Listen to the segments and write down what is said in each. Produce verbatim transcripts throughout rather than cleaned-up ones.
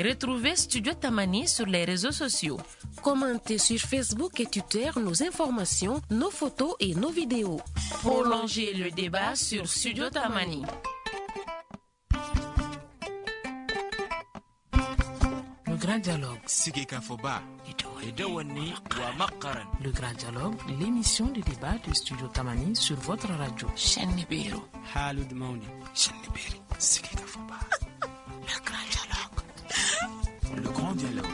Retrouvez Studio Tamani sur les réseaux sociaux. Commentez sur Facebook et Twitter nos informations, nos photos et nos vidéos. Prolongez le débat sur Studio Tamani. Le Grand Dialogue. Le Grand Dialogue, l'émission de débat de Studio Tamani sur votre radio. Le Grand Dialogue. Le Grand Dialogue.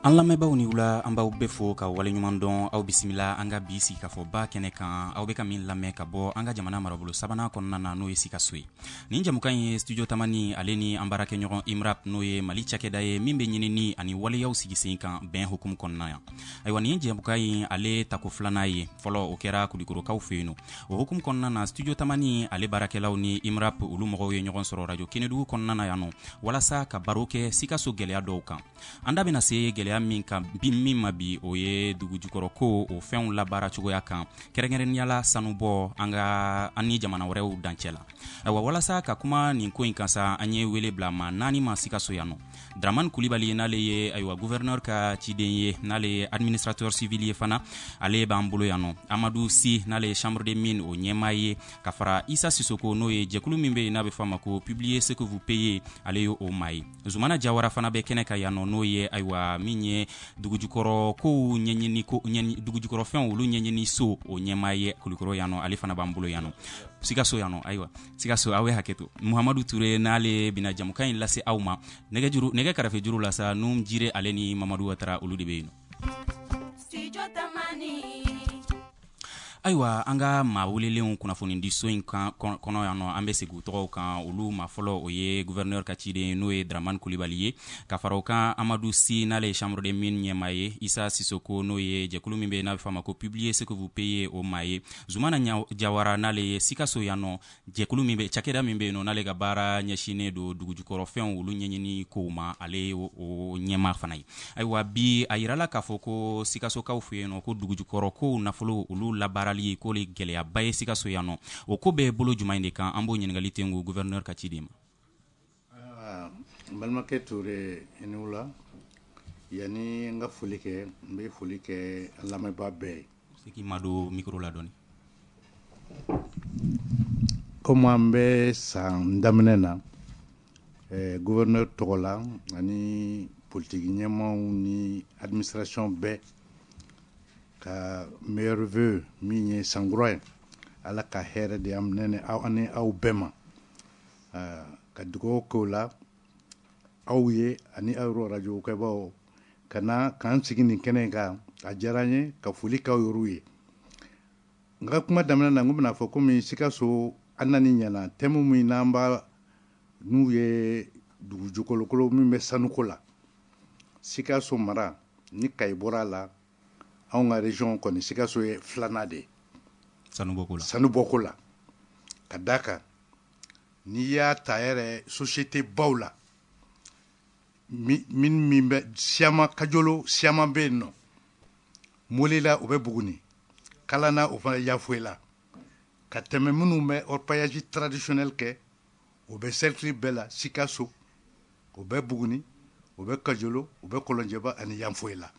An lamɛnbaaw ni wula, an b'aw bɛɛ fo ka waleɲuman dɔn. Aw bisimila an ka bi sigikafɔba kɛnɛ kan, aw bɛ ka min lamɛn ka bɔ an ka jamana marabolo sabanan kɔnɔna na, n'o ye Sikaso ye. Nin jamukan ye Studio Tamani ale ni an baarakɛɲɔgɔn IMRAP, n'o ye Mali cakɛda ye min bɛ ɲinini ani waleyaw sigi sen kan bɛn hukumu kɔnɔna yan. Ayiwa, nin jamukan in ale tako filanan ye. Fɔlɔ o kɛra Kulikorokaw fɛ yen nɔ. O hukumu kɔnɔna na, Studio Tamani ale baarakɛlaw ni IMRAP olu mɔgɔw ye ɲɔgɔn sɔrɔ radio Kenedugu kɔnɔna na yan nɔ, walasa ka baro kɛ Sikaso gɛlɛya dɔw kan. An da bɛna se gɛlɛya min kan bi, min ma bi, o ye dugujukɔrɔ ko o fɛnw labaara cogoya kan, kɛrɛnkɛrɛnnenya la sanubɔ an ka an ni jamana wɛrɛw dancɛ la. Ayiwa, walasa ka kuma nin ko in kan sa, an ye wele bila maa naani ma Sikaso yan nɔ. Dramane Kulibali, n'ale ye ayiwa gouverneur ka ciden ye, n'ale ye administrateur civil ye fana, ale b'an bolo yan nɔ. Amadu Si, n'ale ye chambre de mine o ɲɛmaa ye, ka fara Isa Sisoko, n'o ye jɛkulu min bɛ yen n'a bɛ fɔ a ma ko Publier ce que vous payez, ale ye o maa ye. Zumana Jawara fana bɛ kɛnɛ kan yan nɔ, n'o ye ayiwa min ye dugujukɔrɔ kow ɲɛɲini ko dugujukɔrɔfɛnw olu ɲɛɲini so o ɲɛmaa ye Kulikoro yan nɔ, ale fana b'an bolo yan nɔ, Sikaso yan nɔ. Ayiwa, Sikaso, aw ye hakɛ to. Muhamadu Ture, n'ale bɛna jamukan in lase aw ma nɛgɛjuru nɛgɛ karafe juru la sa, Num Jire ale ni Mamadu Watara, olu de bɛ yen nɔ. Ayiwa, an ka maa welelenw kunnafonidiso in kan kɔnɔ yan nɔ, an bɛ segin u tɔgɔw kan. Olu maa fɔlɔ, o ye gouverneur ka ciden, n'o ye Dramane Kulibali ye, ka fara o kan Amadu Si, n'ale ye chambre de mine ɲɛmaa ye, Isa Sisoko, n'o ye jɛkulu min bɛ yen n'a bɛ fɔ a ma ko Publier ce que vous payez o maa ye, Zumana Jawara, n'ale ye Sikaso yan nɔ jɛkulu min bɛ cakɛda min bɛ yen nɔ, n'ale ka baara ɲɛsinnen don dugujukɔrɔfɛnw olu ɲɛɲini kow ma, ale ye o ɲɛmaa fana ye. Ayiwa, bi a yirala k'a fɔ ko Sikasokaw fɛ yen nɔ, ko dugujukɔrɔ kow nafolo olu labaara ko le gɛlɛyaba ye Sikaso yan nɔ. O ko bɛ bolo jumɛn de kan? An b'o ɲininkali tengu gouverneur ka ci de ma. N balimakɛ Ture, i ni wula. Yanni n ka foli kɛ, n bɛ foli kɛ an lamɛnbaa bɛɛ ye. Se k'i ma don micro la dɔɔni. Komi an bɛ san daminɛ na, eh, gouverneur tɔgɔ la ani politiki ɲɛmaaw ni administration bɛɛ ka meilleurs vœux min ye sankura ye, Ala ka hɛrɛ di an ni aw ani aw bɛɛ ma, ka dugawu k'o la aw ye ani aw yɛrɛ radio kɛbaaw ka na k'an sigi nin kɛnɛ in kan. A diyara n ye ka foli k'aw yɛrɛw ye. N ka kuma daminɛ na, n ko bɛna fɔ komi Sikaso an nani ɲɛna thème min n'an b'a n'u ye dugujukɔrɔkolo min bɛ sanuko la, Sikaso mara ni Kayi bɔra a la, anw ka région kɔni Sikaso ye filanan de ye sanubɔko la. Sanubɔko la, ka d'a kan n'i y'a ta yɛrɛ société baw la, min min bɛ Siyama Kajolo, Siyama bɛ yen nɔ, Molela o bɛ Buguni, Kalana o fana Yafoyila, ka tɛmɛ minnu bɛ orpaillage traditionnel kɛ, o bɛ cercle bɛɛ la Sikaso, o bɛ Buguni, o bɛ Kajolo, o bɛ Kɔlɔnjɛba ani Yanfoyila.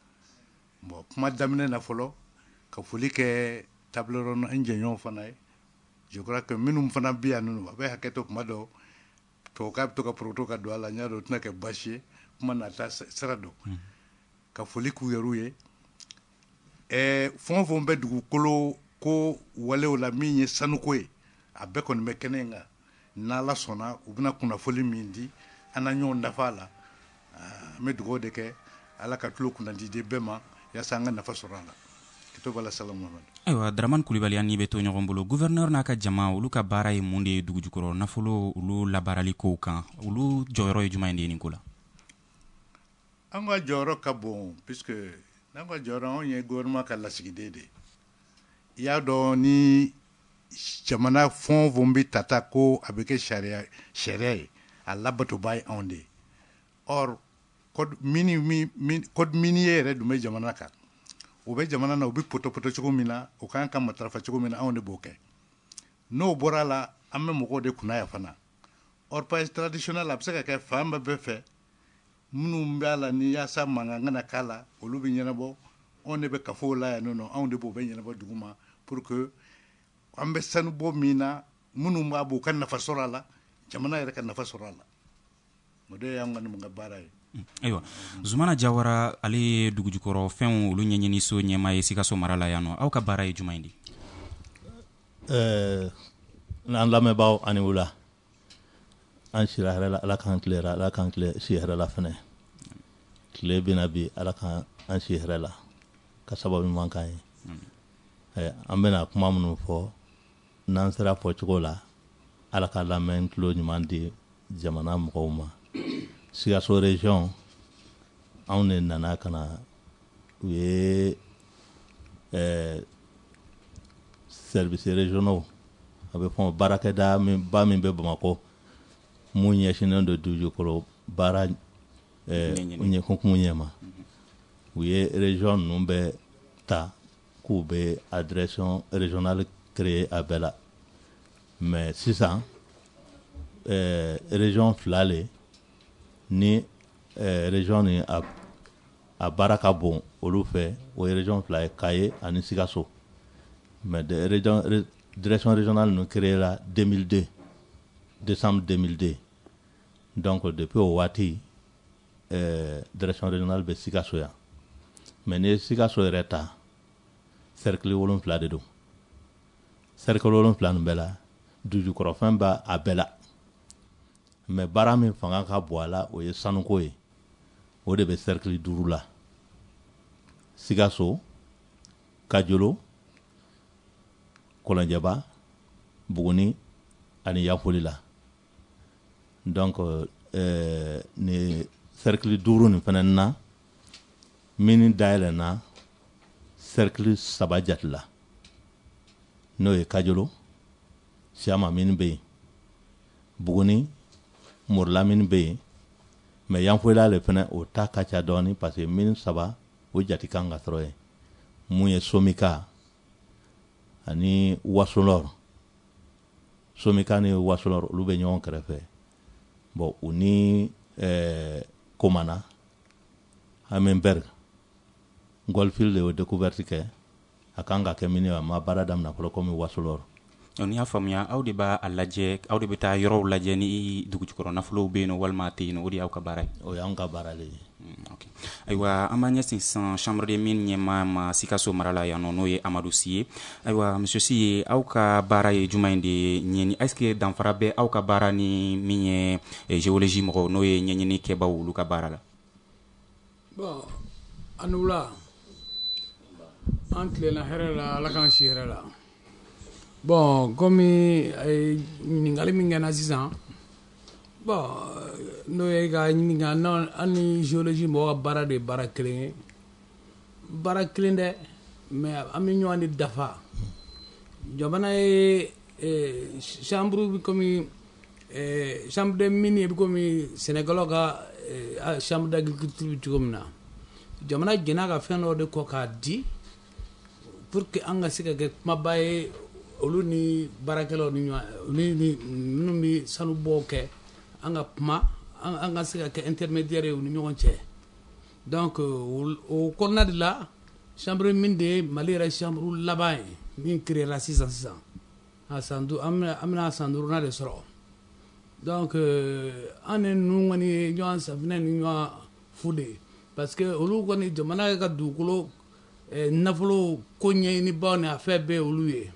Bon, kuma daminɛ na fɔlɔ, ka foli kɛ table ronde n jɛɲɔgɔn fana ye. Je crois que minnu fana bɛ yan nɔ, a bɛ hakɛ to, kuma dɔw tubabukan bɛ to ka poroto ka don a la, n y'a dɔn o tɛna kɛ baasi ye, kuma nata sira don. Ka foli k'u yɛrɛw ye. Ɛɛ fɛn o fɛn bɛ dugukolo ko walew la min ye sanuko ye, a bɛɛ kɔni bɛ kɛnɛ in kan. N'Ala sɔnna, u bɛna kunnafoli min di, an na ɲɔgɔn dafa a la. An bɛ dugawu de kɛ, Ala ka tulo kunnandi di bɛɛ ma, yaasa an ka nafa sɔrɔ a la. Ayiwa, Dramane Kulibali, an ni bɛ to ɲɔgɔn bolo. Gouverneur n'a ka jama, olu ka baara ye mun de ye dugujukɔrɔ nafolo olu labaarali kow kan? Olu jɔyɔrɔ ye jumɛn de ye nin ko la? An ka jɔyɔrɔ ka bon, puisque n'an ka jɔyɔrɔ, anw ye gouvernement ka lasigiden de ye. I y'a dɔn ni jamana fɛn o fɛn bɛ tata ko a bɛ kɛ sariya sariya ye, a labatoba ye anw de ye. Or code mini min code minier yɛrɛ dun bɛ jamana kan, o bɛ jamana na, u bɛ pɔtɔpɔtɔ cogo min na, o kan ka matarafa cogo min na, anw de b'o kɛ. N'o bɔra la, an bɛ mɔgɔw de kunna yan fana. Orpaillage traditionnel a bɛ se ka kɛ fan bɛɛ fɛ. Minnu b'a la ni yaasa mankan kana k'a la, olu bɛ ɲɛnabɔ. Anw de bɛ kafow la yan nɔ, anw de b'o bɛɛ ɲɛnabɔ dugu ma pour que an bɛ sanu bɔ min na, minnu b'a bɔ u ka nafa sɔrɔ a la, jamana yɛrɛ ka nafa sɔrɔ a la. O de y'an ka ka baara ye. Ayiwa, Zumana Jawara, ale ye dugujukɔrɔ fɛnw olu ɲɛɲiniso ɲɛmaa ye Sikaso mara la yan nɔ. Aw ka baara ye jumɛn de? Ɛɛ an lamɛnbaaw, ani wula. An sira hɛrɛ la, Ala k'an tilera, Ala k'an tile si hɛrɛ la fɛnɛ. Tile bɛna bi, Ala k'an an si hɛrɛ la ka sababu ɲuman k'an ye. Ɛɛ an bɛna kuma minnu fɔ, n'an sera fɔcogo la, Ala ka lamɛn tulo ɲuman di jamana mɔgɔw ma. Sikaso région, anw de nana ka na u ye ɛɛ services régionaux, a bɛ fɔ baarakɛda min ba min bɛ Bamakɔ, mun ɲɛsinnen don dugukolo baara ɛɛ hukumu ɲɛma. U ye région ninnu bɛɛ ta k'u bɛ direction régionale créer a bɛɛ la. Mais sisan ɛɛ région fila le ni ɛɛ région ni a a baara ka bon olu fɛ, o ye région fila ye, Kaye ani Sikaso. Mais de région direction régionale ninnu créé la deux mille deux, décembre deux mille deux. Donc depuis o waati, ɛɛ direction régionale bɛ Sikaso yan. Mais n'i ye Sikaso yɛrɛ ta, cercle wolonfila de don. Cercle wolonfila nin bɛɛ la, dugujukɔrɔfɛn b'a a bɛɛ la. Mais baara min fanga ka bon a la, o ye sanuko ye. O de bɛ cercle duuru la: Sikaso, Kajolo, Kɔlɔnjɛba, Buguni ani Yanfolila. Donc ɛɛ nin cercle duuru nin fana na, mine dayɛlɛnna cercle saba jate la, n'o ye Kajolo, Siyama mine bɛ yen, Buguni, Morila mine bɛ yen. Mais Yanfolila le fana, o ta ka ca dɔɔni, parce que mine saba o jate kan ka sɔrɔ yen, mun ye Somika ani Wasolɔr. Somika ni Wasolɔr, olu bɛ ɲɔgɔn kɛrɛfɛ. Bon, u ni ɛɛ Komana Hammenberg, Goldfield de y'o découverte kɛ. A kan ka kɛ mine, a ma baara daminɛ fɔlɔ komi Wasolɔr. N'i y'a faamuya, aw de b'a lajɛ, aw de bɛ taa yɔrɔw lajɛ ni dugujukɔrɔ nafolow bɛ yen nɔ walima a tɛ yen nɔ. O de y'aw ka baara ye? O y'anw ka baara de ye. Ok, ayiwa, an b'an ɲɛsin sisan chambre de mine ɲɛmaa ma Sikaso mara la yan nɔ, n'o ye Amadu Si ye. Ayiwa, monsieur Si ye, aw ka baara ye jumɛn de ye ɲɛni? Est ce que danfara bɛ aw ka baara ni min ye géologie mɔgɔw, n'o ye ɲɛɲini kɛbaw, olu ka baara la? Bon, a ni wula. An tilenna hɛrɛ la, Ala k'an si hɛrɛ la. Bon, komi a ye ɲininkali min kɛ n na sisan, bon, n'o ye ka ɲininka an ni géologie mɔgɔw ka baara de ye baara kelen ye, baara kelen dɛ, mais an bɛ ɲɔgɔn de dafa. Jamana ye chambre bɛ komi chambre de mine bɛ komi sɛnɛkɛlaw ka chambre d'agriculture bɛ cogo min na. Jamana jɛnna ka fɛn dɔ de kɔ k'a di pour que an ka se ka kɛ kumaba ye olu ni baarakɛlaw ni ɲɔgɔn, olu ni minnu bɛ sanubɔw kɛ, an ka kuma, an ka se ka kɛ intermédiaire ye u ni ɲɔgɔn cɛ. Donc o kɔnɔna de la, chambre mine de ye Mali yɛrɛ chambre laban ye min créé la sisan sisan. A san an bɛna san duurunan de sɔrɔ. Donc an ni ninnu kɔni ye ɲɔgɔn safinɛ ni ɲɔgɔn fu de ye, parce que olu kɔni jamana ka dugukolo nafolo ko ɲɛɲinibaw ni a fɛn bɛɛ olu ye.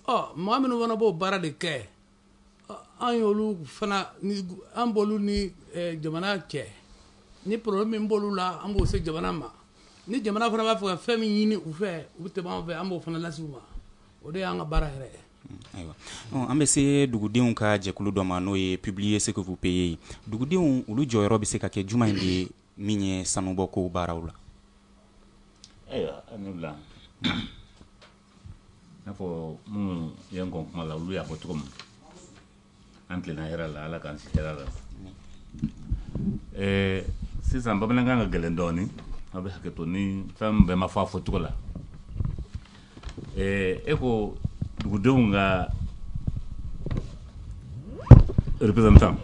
Ɔ mɔgɔ minnu fana b'o baara de kɛ, an y'olu fana ni an b'olu ni jamana cɛ. Ni problème min b'olu la, an b'o se jamana ma. Ni jamana fana b'a fɛ ka fɛn min ɲini u fɛ, u bɛ tɛmɛ an fɛ, an b'o fana lase u ma. O de y'an ka baara yɛrɛ ye. Ayiwa, an bɛ se dugudenw ka jɛkulu dɔ ma, n'o ye Publier ce que vous payez. Dugudenw, olu jɔyɔrɔ bɛ se ka kɛ jumɛn de ye min ye sanubɔko baaraw la? Ayiwa, a ni wula. N'a fɔ minnu ye n kɔn kuma la, olu y'a fɔ cogo min, an tilenna hɛrɛ la, Ala k'an si hɛrɛ la. Ɛɛ sisan bamanankan ka gɛlɛn dɔɔnin, aw bɛ hakɛ to ni fɛn bɛɛ ma fɔ a fɔcogo la. Ɛɛ e ko dugudenw ka représentant.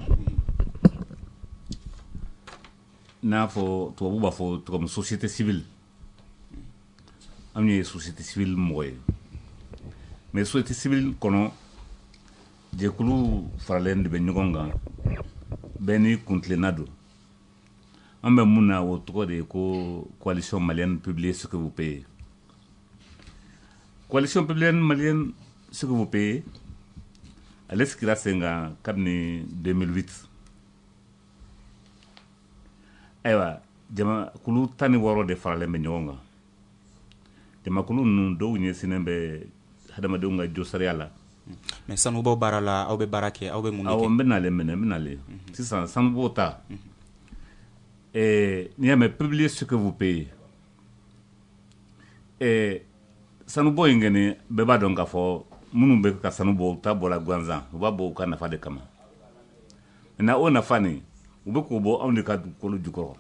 n'a fɔ tubabu b'a fɔ cogo min société civile, anw ye société civile mɔgɔ ye. Mais société civile kɔnɔ, jɛkulu faralen de bɛ ɲɔgɔn kan, bɛɛ ni kuntilenna don. An bɛ mun na, o tɔgɔ de ye ko Coalition malienne Publiez ce que vous payez. Coalition publienne malienne ce que vous payez, ale sigira sen kan kabini deux mille huit. Ayiwa, jamakulu tan ni wɔɔrɔ de faralen bɛ ɲɔgɔn kan. Jamakulu ninnu dɔw ɲɛsinnen bɛ hadamadenw ka josariya la. Mais sanubɔ baara la, aw bɛ baara kɛ, aw bɛ mun de Awɔ. kɛ? N bɛ nalen minɛ, n bɛ nalen sisan. Sanubɔ ta, ɛɛ n'i y'a mɛn publier ce que vous payez, ɛɛ sanubɔ in kɔni, bɛɛ b'a dɔn k'a fɔ minnu bɛ ka sanu bɔ, u ta bɔra gansan, u b'a bɔ u ka nafa de kama. Maintenant, o nafa nin, u bɛ k'o bɔ anw de ka dugukolo jukɔrɔ.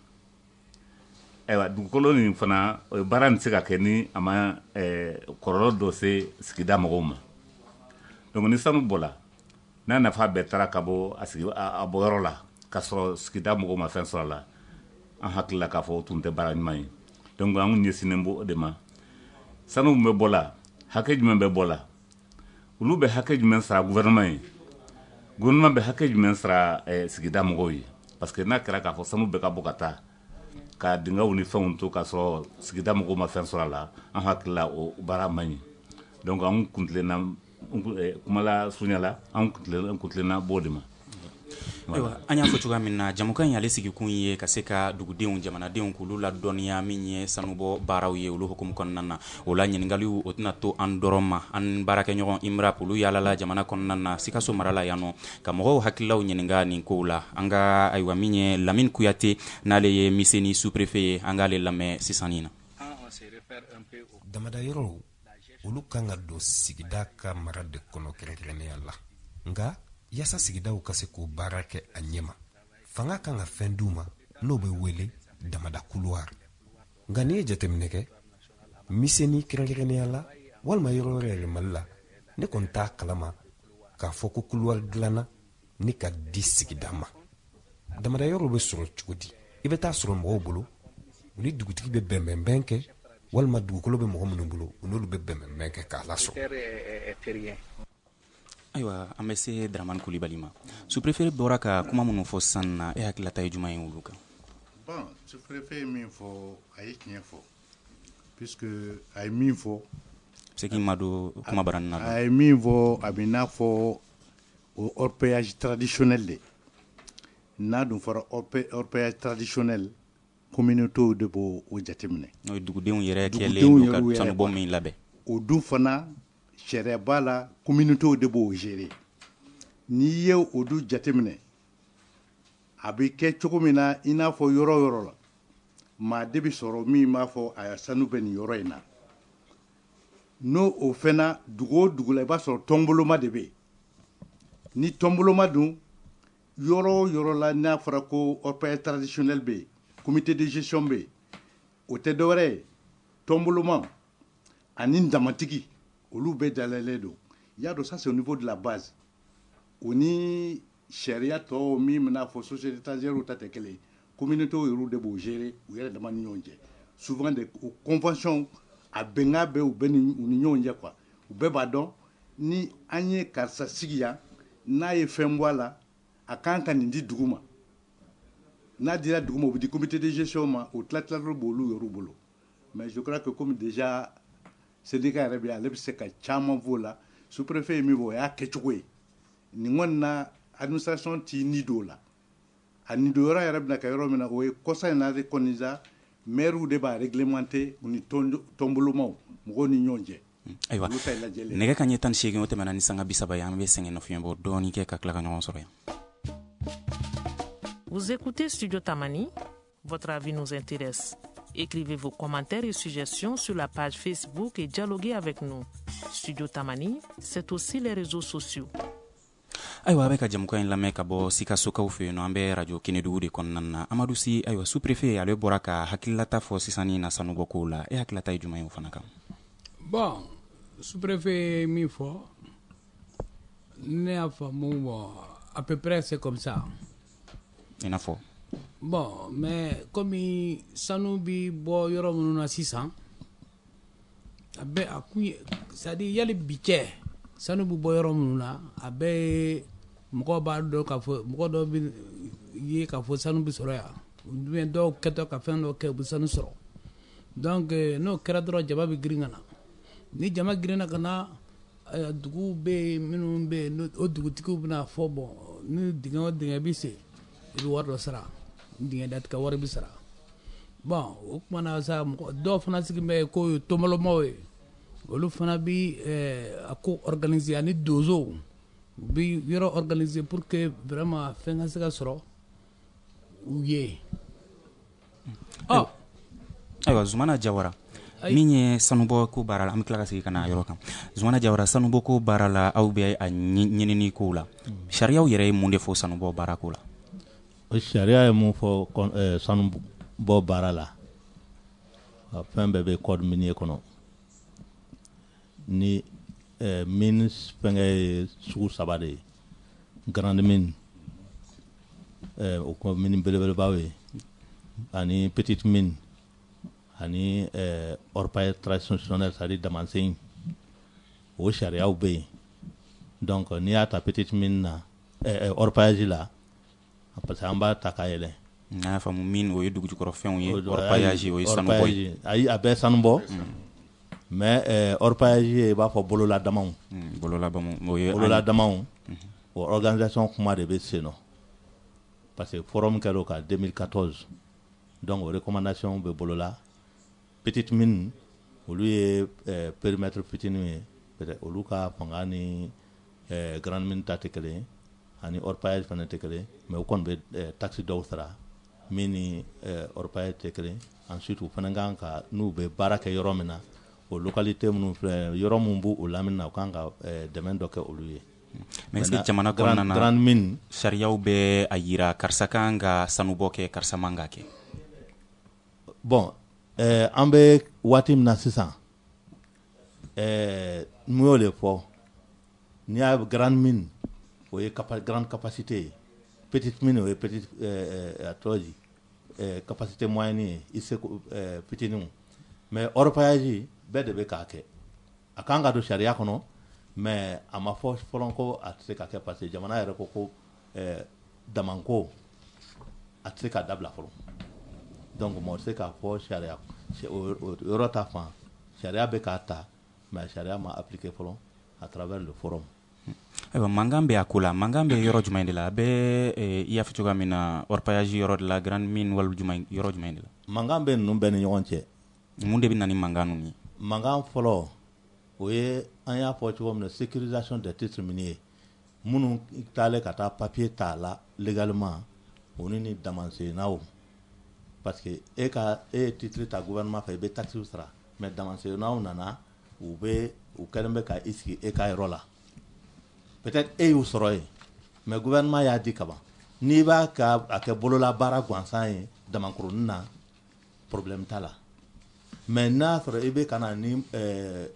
Ayiwa, dugukolo nin fana, o baara nin tɛ se ka kɛ ni a ma ɛɛ kɔlɔlɔ dɔ se sigida mɔgɔw ma. Donc ni sanu bɔla, n'a nafa bɛɛ taara ka bɔ a sigi a bɔyɔrɔ la, k'a sɔrɔ sigida mɔgɔw ma fɛn sɔrɔ a la, an hakili la k'a fɔ o tun tɛ baara ɲuman ye. Donc an ɲɛsinnen b'o de ma. Sanu min bɛ bɔ la, hakɛ jumɛn bɛ bɔ la, olu bɛ hakɛ jumɛn sara gouvernement ye, gouvernement bɛ hakɛ jumɛn sara eh, sigida mɔgɔw ye? Parce que n'a kɛra k'a fɔ sanu bɛ ka bɔ ka taa ka dingɛw ni fɛnw to k'a sɔrɔ sigida mɔgɔw ma fɛn sɔrɔ a la, an hakili la o baara man ɲi. Donc an kuntilenna, kumala surunya la, an kuntilenna b'o de ma. Ayiwa, an y'a fɔ cogoya min na, jamukan in ale sigikun ye ka se ka dugudenw, jamanadenw, k'olu ladɔnniya min ye sanubɔ baaraw ye, olu hukumu kɔnɔna na. O la, ɲininkaliw o tɛna to an dɔrɔn ma. An baarakɛɲɔgɔn Imrap, olu yaalala jamana kɔnɔna na, Sikaso mara la yan nɔ, ka mɔgɔw hakililaw ɲininka nin kow la. An ka, ayiwa, min ye Lamine Kuyate, n'ale ye Miseni sous-préfet ye, an k'ale lamɛn sisan nin na. Damada yɔrɔw, olu kan ka don sigida ka mara de kɔnɔ kɛrɛnkɛrɛnnenya la. Nka yaasa sigidaw ka se k'o baara kɛ a ɲɛma, fanga kan ka fɛn d'u ma n'o bɛ wele damada couloir. Nka n'i ye jateminɛ kɛ Miseni kɛrɛnkɛrɛnnenya la, walima yɔrɔ wɛrɛ yɛrɛ Mali la, ne kɔni t'a kalama k'a fɔ ko couloir dilanna ni ka di sigida ma. Damada yɔrɔw bɛ sɔrɔ cogo di? I bɛ taa sɔrɔ mɔgɔw bolo, u ni dugutigi bɛ bɛnbɛnbɛn kɛ, walima dugukolo bɛ mɔgɔ minnu bolo, u n'olu bɛ bɛnbɛnbɛn kɛ k'a lasɔrɔ. Ayiwa, an bɛ se Dramani Kulibali ma. Sous-préfet bɔra ka kuma minnu fɔ sisan na, e hakililata ye jumɛn ye olu kan? Bon, sous-préfet ye min fɔ, a ye tiɲɛ fɔ, puisque a ye min fɔ Se k'i ma don kuma baranin na. A ye min fɔ, a bɛ n'a fɔ o orpaillage traditionnel de. N'a dun fɔra orpaillage traditionnel, communauté de b'o o jateminɛ. N'o ye dugudenw yɛrɛ kɛlen don ka sanubɔ min labɛn. O dun fana, sariya b'a la, communauté de b'o gérer. N'i ye o dun jateminɛ, a bɛ kɛ cogo min na, i n'a fɔ yɔrɔ o yɔrɔ la, maa de bɛ sɔrɔ min b'a fɔ a sanu bɛ nin yɔrɔ in na. N'o o fɛnna, dugu o dugu la, i b'a sɔrɔ tɔnboloma de bɛ yen. Ni tɔnboloma dun, yɔrɔ o yɔrɔ la, n'a fɔra ko orpaillage traditionnel bɛ yen, comité de gestion bɛ yen, o tɛ dɔwɛrɛ ye, tɔnboloma ani damatigi, olu bɛɛ dalalen don. I y'a dɔn, ça c'est au niveau de la base. O ni sariya tɔw min bɛna fɔ société étrangère ta tɛ kelen ye. Communauté yɛrɛ de b'o gérer u yɛrɛ dama ni ɲɔgɔn cɛ. Souvent de o convention, a bɛnkan bɛ u bɛɛ ni u ni ɲɔgɔn cɛ quoi. U bɛɛ b'a dɔn ni an ye karisa sigi yan, n'a ye fɛn bɔ a la, a kan ka nin di dugu ma. N'a dira dugu ma, o bɛ di comité de gestion ma, o tila tila b'olu yɛrɛ bolo. Mais je crois que comme déjà syndicat yɛrɛ bɛ yen, ale bɛ se ka caman f'o la. Sous-préfet ye min fɔ, o y'a kɛcogo ye. Nin kɔni na, administration t'i ni don o la. A ni don yɔrɔ yɛrɛ bɛna kɛ yɔrɔ min na, o ye kɔsa in na de kɔni sa, maire de b'a réglementer, u ni tɔnbolomaw, mɔgɔw ni ɲɔgɔn cɛ. Ayiwa, nɛgɛ ka ɲɛ tan ni seegin, o tɛmɛna ni sanga bi saba ye. An bɛ sɛgɛn nɔfiɲɛ bɔ dɔɔni kɛ ka tila ka ɲɔgɔn sɔrɔ yan. Vous écoutez Studio Tamani. Votre avis nous intéresse. Écrivez vos commentaires et suggestions sur la page Facebook et dialoguez avec nous. Studio Tamani, c'est aussi les réseaux sociaux. Ayiwa, a bɛ ka jamukan in lamɛn ka bɔ Sikasokaw fɛ yen nɔ. An bɛ radio Kenedugu de kɔnɔna na. Amadu Si, ayiwa, sous-préfet ale bɔra ka hakililata fɔ sisan ni na sanubɔ kow la. E hakililata ye jumɛn ye o fana kan? Bon, sous-préfet min fɔ, ne y'a faamu, bon, à peu près c'est comme ça. I n'a fɔ? Bon, mais komi sanu bi bɔ yɔrɔ minnu na sisan, a bɛ a kun ye, c'est à dire yali bi cɛ sanu bi bɔ yɔrɔ minnu na, a bɛɛ ye mɔgɔw b'a dɔn k'a fɔ, mɔgɔ dɔw bɛ ye k'a fɔ sanu bɛ sɔrɔ yan, ou bien dɔw kɛtɔ ka fɛn dɔ kɛ, u bɛ sanu sɔrɔ. Donc n'o kɛra dɔrɔn, jama bɛ girin ka na. Ni jama girinna ka na, duguw bɛ yen minnu bɛ yen, o dugutigiw bɛna fɔ: bon, ni dingɛ o dingɛ bɛ sen, i bɛ wari dɔ sara, dingɛ datigɛ wari bɛ sara. Bon, o tuma na sa, mɔgɔ dɔw fana sigi bɛ k'o ye tɔnbɔlɔmaw ye, olu fana bi a ko organiser, ani donsow u bi yɔrɔ organiser pour que vraiment fɛn ka se ka sɔrɔ u ye. Ɔ ayiwa, Zumana Jawara, min ye sanubɔ ko baara la, an bɛ tila ka segin ka na yɔrɔ kan. Zumana Jawara, sanubɔ ko baara la, aw bɛ a ɲinini kow la, sariyaw yɛrɛ ye mun de fɔ sanubɔ baara ko la? O sariya ye mun fɔ sanubɔ baara la? Fɛn bɛɛ bɛ code minier kɔnɔ. Ni mine fɛnkɛ ye sugu saba de ye: grande mine, o ko mine belebelebaw ye, ani petite mine, ani orpaillage traditionnel, c'est à dire damansen. O sariyaw bɛ yen. Donc n'i y'a ta petite mine na, orpaillage la, parce que an b'a ta ka yɛlɛ. N'a y'a faamu, mine o ye dugujukɔrɔfɛnw ye, orpaillage o ye sanubɔ ye. Ayi, a bɛɛ sanubɔ, mais orpaillage ye i b'a fɔ bololadamaw. Bololadamaw o ye bololadamaw, o organisation kuma de bɛ sen nɔ, parce que forum kɛra o kan deux mille quatorze. Donc o recommandation bɛ bolola. Petite mine, olu ye périmètre fitininw ye, peut-être olu ka fanga ni grande mine ta tɛ kelen ye, ani orpaillage fana tɛ kelen, mais u kɔni bɛ taxe dɔw sara min ni orpaillage tɛ kelen. Ensuite, u fana kan ka, n'u bɛ baara kɛ yɔrɔ min na, o localité minnu filɛ, yɔrɔ min b'u o lamini na, u kan ka dɛmɛ dɔ kɛ olu ye. Mais est-ce que jamana kɔnɔna na, grande mine, sariyaw bɛ a yira karisa kan ka sanubɔ kɛ, karisa man ka kɛ? Bon, ɛɛ an bɛ waati min na sisan, ɛɛ n y'o de fɔ, n'i y'a grande mine, o ye grande capacité ye, petite mine, o ye petite, ɛɛ a tɔgɔ di, ɛɛ capacité moyenne ye, i seko ɛɛ fitininw. Mais orpaillage, bɛɛ de bɛ k'a kɛ. A kan ka don sariya kɔnɔ, mais a ma fɔ fɔlɔ ko a tɛ se ka kɛ, parce que jamana yɛrɛ ko ko ɛɛ damanko a tɛ se ka dabila fɔlɔ. Donc mɔgɔ tɛ se k'a fɔ sariya o yɔrɔ ta fan. Sariya bɛ k'a ta, mais sariya ma appliquer fɔlɔ à travers le forum. Ayiwa, mankan bɛ a ko la, mankan bɛ yɔrɔ jumɛn de la? A bɛ i y'a fɔ cogoya min na, orpaillage yɔrɔ de la, grande mine, wali jumɛn, yɔrɔ jumɛn de la? Mankan bɛ ninnu bɛɛ ni ɲɔgɔn cɛ. Mun de bɛ na ni mankan ninnu ye? Mankan fɔlɔ, o ye an y'a fɔ cogo min na, sécurisation des titres miniers. Minnu taalen ka taa papier ta la légalement, olu ni damansennaw, parce que e ka e ye titre ta gouvernement fɛ, i bɛ taxe sara, mais damansennaw nana, u bɛ u kɛlen bɛ ka i sigi e ka yɔrɔ la. Peut-être e y'u sɔrɔ yen, mais gouvernement y'a di kaban. N'i b'a ka a kɛ bololabaara gansan ye damankurunin na, problème t'a la. Mais n'a sɔrɔ i bɛ ka na ni ɛɛ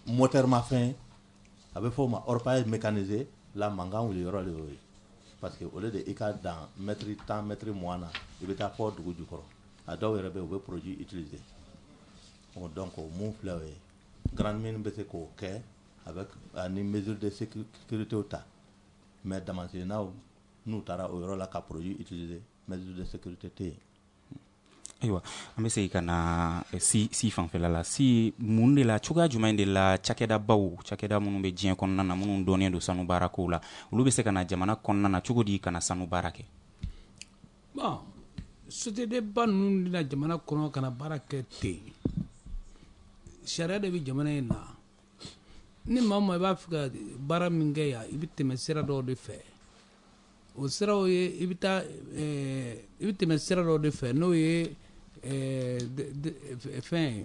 moteur mafɛn, a bɛ fɔ o ma orpaillage mécanisé la, mankan wuli yɔrɔ de y'o ye, parce que au lieu de i ka dan mètre tan, mètre mugan na, i bɛ taa fɔ dugu jukɔrɔ. A dɔw yɛrɛ bɛ yen, u bɛ produit utiliser. Donc o mun filɛ, o ye grande mine bɛ se k'o kɛ avec ani mesure de sécurité ta, mais damansennaw, n'u taara o yɔrɔ la ka produit utiliser, mesure de sécurité tɛ yen. Ayiwa, an bɛ segin ka na si si fanfɛla la. Si mun de la, cogoya jumɛn de la cakɛdabaw, cakɛda minnu bɛ diɲɛ kɔnɔna na, minnu dɔnnen don sanu baara kow la, olu bɛ se ka na jamana kɔnɔna na cogo di ka na sanu baara kɛ? Bon, société ba ninnu bɛna jamana kɔnɔ ka na baara kɛ ten, sariya de bɛ jamana in na. Ni maa o maa i b'a fɛ ka baara min kɛ yan, i bɛ tɛmɛ sira dɔw de fɛ. O siraw ye, i bɛ taa, i bɛ tɛmɛ sira dɔw de fɛ, n'o ye fɛn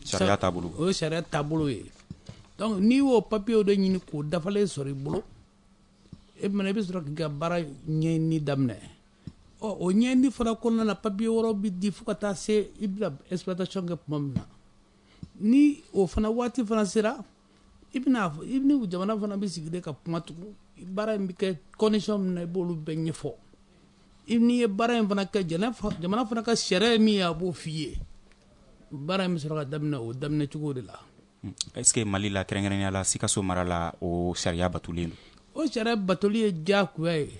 Sariya taabolo. O ye sariya taabolo ye. Donc n'i y'o papiyew de ɲini k'o dafalen sɔrɔ i bolo, e bɛna, i bɛ sɔrɔ k'i ka baara ɲɛɲini daminɛ. Ɔ o ɲɛɲini fana kɔnɔna na, papiye wɛrɛw bɛ di fo ka taa se i bɛna exploitation kɛ tuma min na. Ni o fana waati fana sera, i bɛna, i ni jamana fana bɛ sigi de ka kuma tugun, baara in bɛ kɛ condition min na, i b'olu bɛɛ ɲɛfɔ. N'i ye baara in fana kɛ, jamana fana ka sariya ye min ye, a b'o f'i ye. Baara in bɛ sɔrɔ ka daminɛ o daminɛ cogo de la. Est ce que Mali la, kɛrɛnkɛrɛnnenya la Sikaso mara la, o sariya batolen don? O sariya batoli ye diyagoya ye,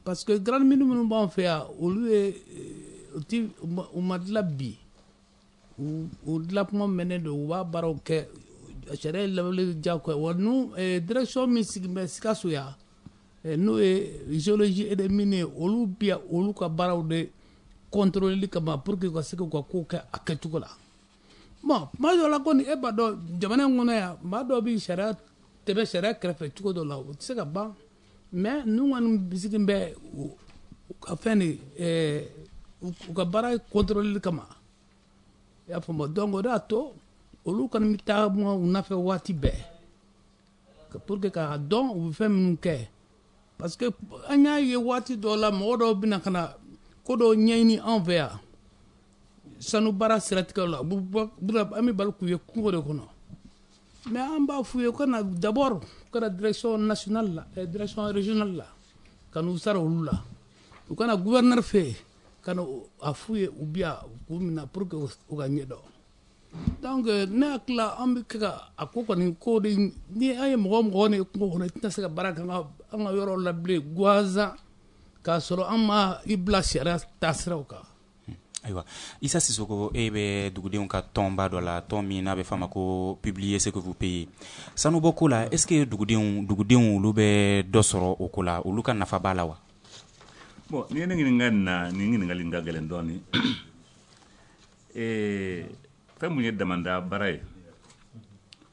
parce que grande mine minnu b'an fɛ yan, olu ye u ti u ma dilan bi, u dilan kuma mɛnnen don. U b'a baaraw kɛ, sariya ye labɛnni diyagoya. Wa nu direction min sigilen bɛ Sikaso yan, n'o ye géologie et des mines ye, olu bi yan olu ka baaraw de contrôler kama, pour que u ka se k'u ka kow kɛ a kɛcogo la. Bon, tuma dɔw la kɔni, e b'a dɔn, jamana in kɔnɔ yan, maa dɔw bɛ sariya tɛmɛ sariya kɛrɛfɛ cogo dɔ la, o tɛ se ka ban. Mais ninnu kɔni sigilen bɛ u ka fɛn de, u ka baara contrôler kama, i y'a faamu. Donc o de y'a to olu kɔni bɛ taa u nɔfɛ waati bɛɛ, pour que k'a dɔn u bɛ fɛn minnu kɛ. Parce que an y'a ye waati dɔw la, mɔgɔ dɔw bɛna ka na ko dɔw ɲɛɲini anw fɛ yan sanu baara siratigɛw la, an bɛ bali k'u ye kungo de kɔnɔ. Mais an b'a f'u ye u ka na d'abord, u ka na direction nationale la, direction régionale la, ka n'u sara olu la. U ka na gouverneur fɛ yen, ka na a f'u ye, u bi yan k'u minɛ pour que u ka ɲɛdɔn. Donc ne hakili la, an bɛ kɛ ka a ko kɔni ko de, ni an ye mɔgɔ mɔgɔ ni kungo kɔnɔ, i tɛna se ka baara kɛ an ka yɔrɔ la bilen gansan, k'a sɔrɔ an ma i bila sariya taasiraw kan. Ayiwa, Isa Sisoko, e bɛ dugudenw ka tɔnba dɔ la, tɔn min n'a bɛ f'a ma ko Publier ce que vous payez. Sanubɔ ko la, est ce que dugudenw dugudenw olu bɛ dɔ sɔrɔ o ko la, olu ka nafa b'a la wa? Bon, n'i ye ne ɲininka nin na, nin ɲininkali in ka gɛlɛn dɔɔnin. Ee, fɛn mun ye damanda baara ye,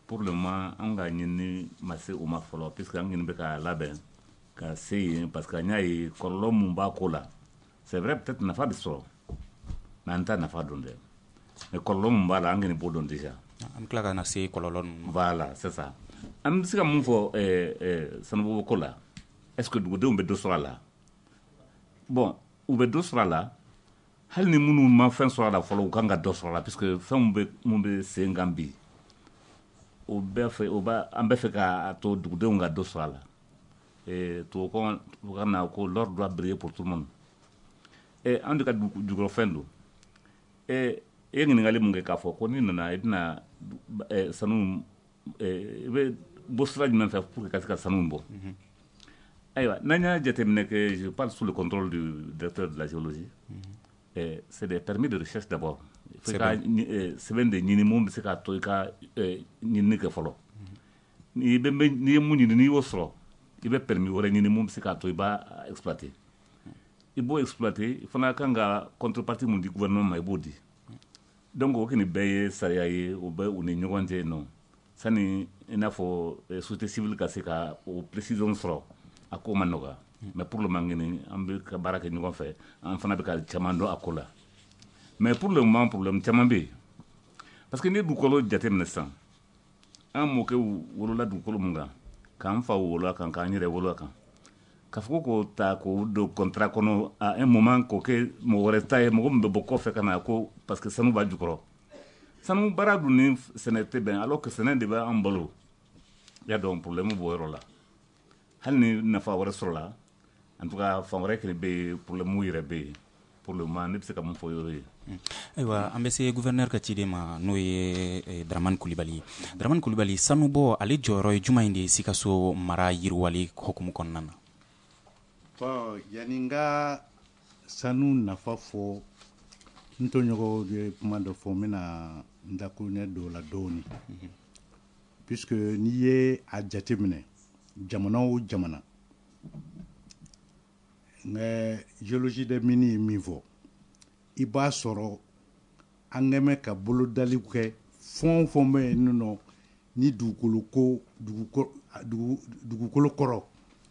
pour le moment an ka ɲinini ma se o ma fɔlɔ, puisque an ɲini bɛ k'a labɛn ka se yen, parce que an y'a ye kɔlɔlɔ mun b'a ko la. C'est vrai, peut-être nafa bɛ sɔrɔ, mais an t'a nafa dɔn dɛ. Mais kɔlɔlɔ mun b'a la, an kɔni b'o dɔn déjà. An bɛ tila ka na se kɔlɔlɔ ninnu. Voilà, c'est ça. An bɛ se ka mun fɔ ɛɛ sanubɔ ko la? Est ce que dugudenw bɛ dɔ sɔrɔ a la? Bon, u bɛ dɔ sɔrɔ a la. Hali ni minnu ma fɛn sɔrɔ a la fɔlɔ, u kan ka dɔ sɔrɔ a la, puisque fɛnw bɛ mun bɛ sen kan bi, o bɛɛ fɛ, o b'a an bɛ fɛ k'a to dugudenw ka dɔ sɔrɔ a la. Ee, tubabukan na ko l'or doit briller pour tout le monde. Ee, an de ka jukɔrɔfɛn don. Ee, e ye ɲininkali mun kɛ k'a fɔ ko n'i nana i bɛna sanu, i bɛ bɔ sira jumɛn fɛ pour que ka se ka sanu bɔ? Ayiwa, n'an y'a jateminɛ kɛ, je parle sous le contrôle du directeur de la géologie, mm-hmm. C'est des permis de recherche d'abord. Il faut ka sɛbɛn de ɲini mun bɛ se k'a to i ka ɲinini kɛ fɔlɔ. N'i bɛ n'i ye mun ɲini, n'i y'o sɔrɔ, i bɛ permis wɛrɛ ɲini mun bɛ se k'a to i b'a exploiter. I b'o exploiter, i fana kan ka contrepartie mun di gouvernement ma, i b'o di. Donc o kɔni bɛɛ ye sariya ye, o bɛ u ni ɲɔgɔn cɛ yen nɔ. Sani i n'a fɔ société civile ka se ka o précision sɔrɔ, a ko ma nɔgɔya. Mais pour le moment kɔni, an bɛ ka baara kɛ ɲɔgɔn fɛ, an fana bɛ ka caman dɔn a ko la. Mais pour le moment, problème caman bɛ yen, parce que n'i ye dugukolo jateminɛ sisan, an mɔkɛw wolola dugukolo mun kan, k'an faw wolo a kan, k'an yɛrɛ wolo a kan, k'a fɔ ko k'o ta k'o don contrat kɔnɔ à un moment k'o kɛ mɔgɔ wɛrɛ ta ye, mɔgɔ min bɛ bɔ kɔfɛ ka na ko parce que sanu b'a jukɔrɔ. Sanu baara dun ni sɛnɛ tɛ bɛn, alors que sɛnɛ de bɛ an balo. I y'a dɔn, problème b'o yɔrɔ la. Hali ni nafa wɛrɛ sɔrɔla, en tout cas fan wɛrɛ kɛnɛ bɛ yen, problème yɛrɛ bɛ yen. Pour le moment, ne bɛ se ka mun fɔ yɔrɔ ye. Ayiwa, an bɛ se gouverneur ka ciden ma, n'o ye Dramane Kulibali ye. Dramane Kulibali, sanubɔ ale jɔyɔrɔ ye jumɛn de ye Sikaso mara yiriwali hukumu kɔnɔna na? Bon, yanni n ka sanu nafa fɔ, n tɔɲɔgɔnw ye kuma dɔ fɔ, n bɛna n dakuruɲɛ don o la dɔɔnin, puisque n'i ye a jateminɛ, jamana o jamana, n ka géologie des mines ye min fɔ, i b'a sɔrɔ an kɛn bɛ ka bolodaliw kɛ fɛn o fɛn bɛ yen nɔ ni dugukolo ko dugukolo kɔrɔ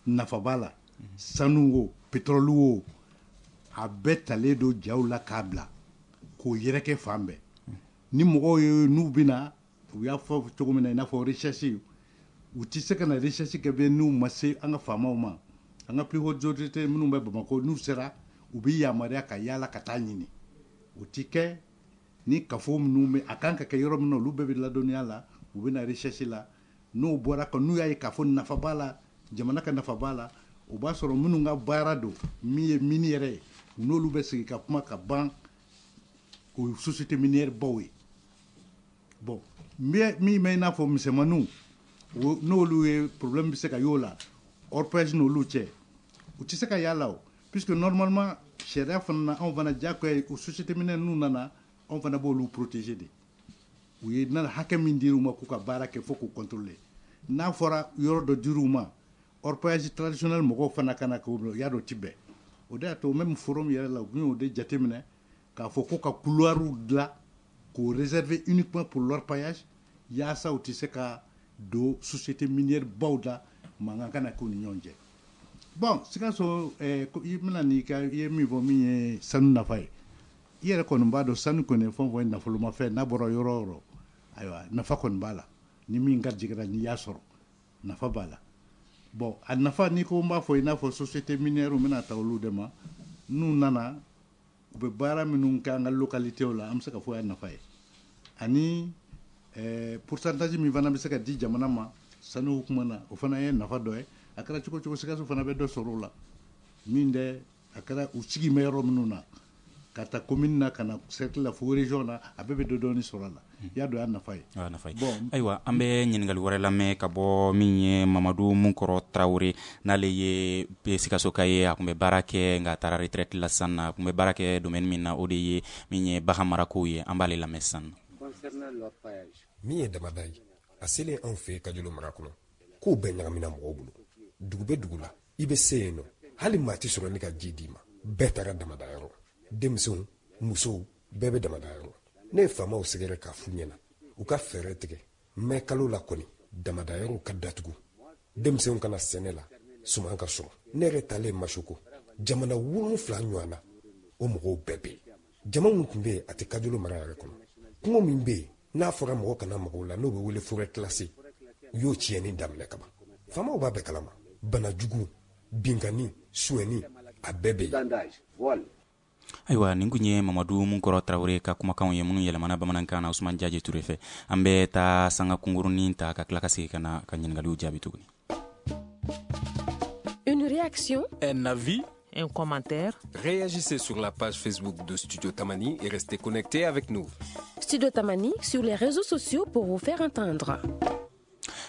nafa b'a la, sanu o, pétrole o, a bɛɛ talen don jaw la k'a bila k'o yɛrɛkɛ fan bɛɛ. Ni mɔgɔw ye n'u bɛna, u y'a fɔ cogo min na, i n'a fɔ recherche, u tɛ se ka na recherche kɛ bilen n'u ma se an ka faamaw ma. An ka plus haute autorité minnu bɛ Bamakɔ, n'u sera, u bɛ yamaruya ka yaala ka taa ɲini. O ti kɛ ni kafo minnu bɛ a kan ka kɛ yɔrɔ min na, olu bɛɛ bɛ ladɔnniya la, u bɛ na recherche la. N'o bɔra kan, n'u y'a ye k'a fɔ nafa b'a la, jamana ka nafa b'a la, O b'a sɔrɔ minnu ka baara don, min ye mine yɛrɛ ye, n'olu bɛ sigi ka kuma ka ban, o ye société minière baw ye. Bon, min bɛ i n'a fɔ misɛnmaninw, n'olu ye problème bɛ se ka y'o la, orpaillage n'olu cɛ, u tɛ se ka y'a la o, puisque normalement sariya fana na, anw fana diyagoya ye o société minière n'u nana, anw fana b'olu protéger de. U ye na hakɛ min dir'u ma k'u ka baara kɛ, fo k'u contrôler. N'a fɔra yɔrɔ dɔ dir'u ma, orpaillage traditionnel mɔgɔw fana ka na k'o y'a dɔn, ti bɛn. O de y'a to même forum yɛrɛ la, u y'o de jateminɛ k'a fɔ ko ka couloir dilan k'o réserver uniquement pour l'orpaillage, yaasa u tɛ se ka don société minière baw la, mankan kana k'u ni ɲɔgɔn cɛ. Bon, Sikaso, eh, i bɛna n'i ka i ye min fɔ, min ye sanu nafa ye, i yɛrɛ kɔni b'a dɔn, sanu kɔni ye fɛn o fɛn ye nafolomafɛn, n'a bɔra yɔrɔ o yɔrɔ, ayiwa, nafa kɔni b'a la. Ni min garijɛgɛra, n'i y'a sɔrɔ, nafa b'a la. Bon, a nafa, n'i ko n b'a fɔ i n'a fɔ société minière bɛna ta olu de ma, n'u nana, u bɛ baara minnu kɛ an ka localité la, an bɛ se ka fɔ y'a nafa ye. Ani eh, pourcentage min fana bɛ se ka di jamana ma sanu kuma na, o fana ye nafa dɔ ye. A kɛra cogo cogo, Sikaso fana bɛ dɔ sɔrɔ o la. Min dɛ, a kɛra u sigi bɛ yɔrɔ minnu na, ka taa commune na, ka na cercle la, fo région na, a bɛɛ bɛ dɔ dɔɔni sɔrɔ a la. I y'a dɔn, y'a nafa ye. A nafa ye. Bon, ayiwa, an bɛ ɲininkali wɛrɛ lamɛn ka bɔ min ye Mamadu Munkɔrɔ Tarawele, n'ale ye Sikasoka ye. A tun bɛ baara kɛ, nka a taara retraite la sisan na. A tun bɛ baara kɛ domaine min na, o de ye min ye bagan marakow ye. An b'ale lamɛn sisan. Min ye damada ye, a selen anw fɛ Kajolo mara kɔnɔ, kow bɛɛ ɲagamina mɔgɔw bolo. Dugu bɛ dugu la, i bɛ se yen nɔ, hali maa tɛ sɔrɔ ni ka ji d'i ma. Bɛɛ taara damada yɔrɔ, denmisɛnw, musow, bɛɛ bɛ damada yɔrɔ. Ne ye faamaw sɛgɛrɛ k'a f'u ɲɛna u ka fɛɛrɛ tigɛ mɛ kalo la kɔni, damada yɔrɔw ka datugu, denmisɛnw kana sɛnɛ la, suman ka sɔrɔ. Ne yɛrɛ taalen Masoko, jamana wolonfila ɲɔgɔn na, o mɔgɔw bɛɛ bɛ yen. Jama min tun bɛ yen, a tɛ Kajolo mara yɛrɛ kɔnɔ. Kungo min bɛ yen n'a fɔra mɔgɔ kana mɔgɔw la, n'o bɛ wele forêt classée, u y'o tiɲɛni daminɛ kaban. Faamaw b'a bɛɛ kalama. Bana jugu, binkanni, sonyɛni, a bɛɛ bɛ yen. Ayiwa, nin kun ye Mamadu Munkɔrɔ Tarawele ka kumakanw ye minnu yɛlɛmana bamanankan na Usman Jaje Ture fɛ. An bɛ taa sanga kunkurunin ta ka tila ka segin ka na ka ɲininkaliw jaabi tuguni. Une réaction, un avis, un commentaire. Réagissez sur la page Facebook de Studio Tamani et restez connectés avec nous. Studio Tamani sur les réseaux sociaux pour vous faire entendre.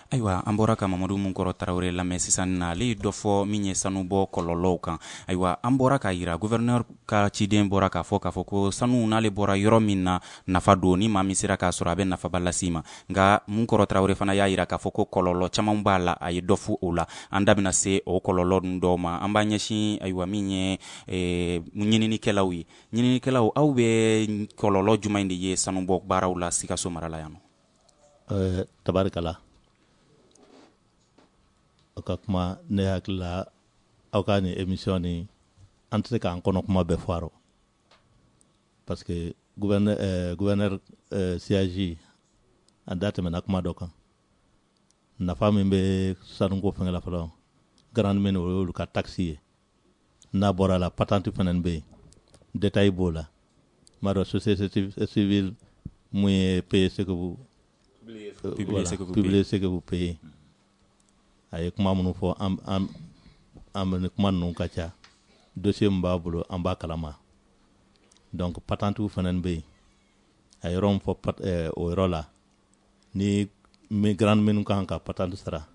Ayiwa, an bɔra ka Mamadu Munkɔrɔ Tarawele lamɛn sisan na. Ale ye dɔ fɔ min ye sanubɔ kɔlɔlɔw kan. Ayiwa, an bɔra k'a yira, gouverneur ka ciden bɔra k'a fɔ k'a fɔ ko sanu, n'ale bɔra yɔrɔ min na, nafa don. Ni maa min sera k'a sɔrɔ, a bɛ nafaba lase ma. Nka Munkɔrɔ Tarawele fana y'a yira k'a fɔ ko kɔlɔlɔ caman b'a la. A ye dɔ fɔ o la. An da bɛna se o kɔlɔlɔ ninnu dɔw ma. An b'an ɲɛsin, ayiwa, min ye ɲininikɛlaw ye. Ɲininikɛlaw, aw bɛ kɔlɔlɔ jumɛn de ye sanubɔ baaraw la Sikaso mara la yan nɔ? Tabarikala, aw ka kuma, ne hakili la, aw ka nin émission ni, an tɛ se k'an kɔnɔ kuma bɛɛ fɔ a rɔ, parce que gouverneur euh, gouverneur euh, siège a da tɛmɛna kuma dɔ kan. Nafa min bɛ sanuko fɛngɛ la fɔlɔ, grande mine, o y'olu ka taxe ye. N'a bɔra la, patente fana bɛ yen, détail b'o la. N b'a dɔn, société civile mun ye payer ce que vous publiez, ce que vous publiez ce que vous payez. A ye kuma minnu fɔ, an an an ni kuma ninnu ka ca. Dossier min b'a bolo, an b'a kalama. Donc patente fana bɛ yen. A yɔrɔ min fɔ, o yɔrɔ la, ni grande mine kan ka patente sara,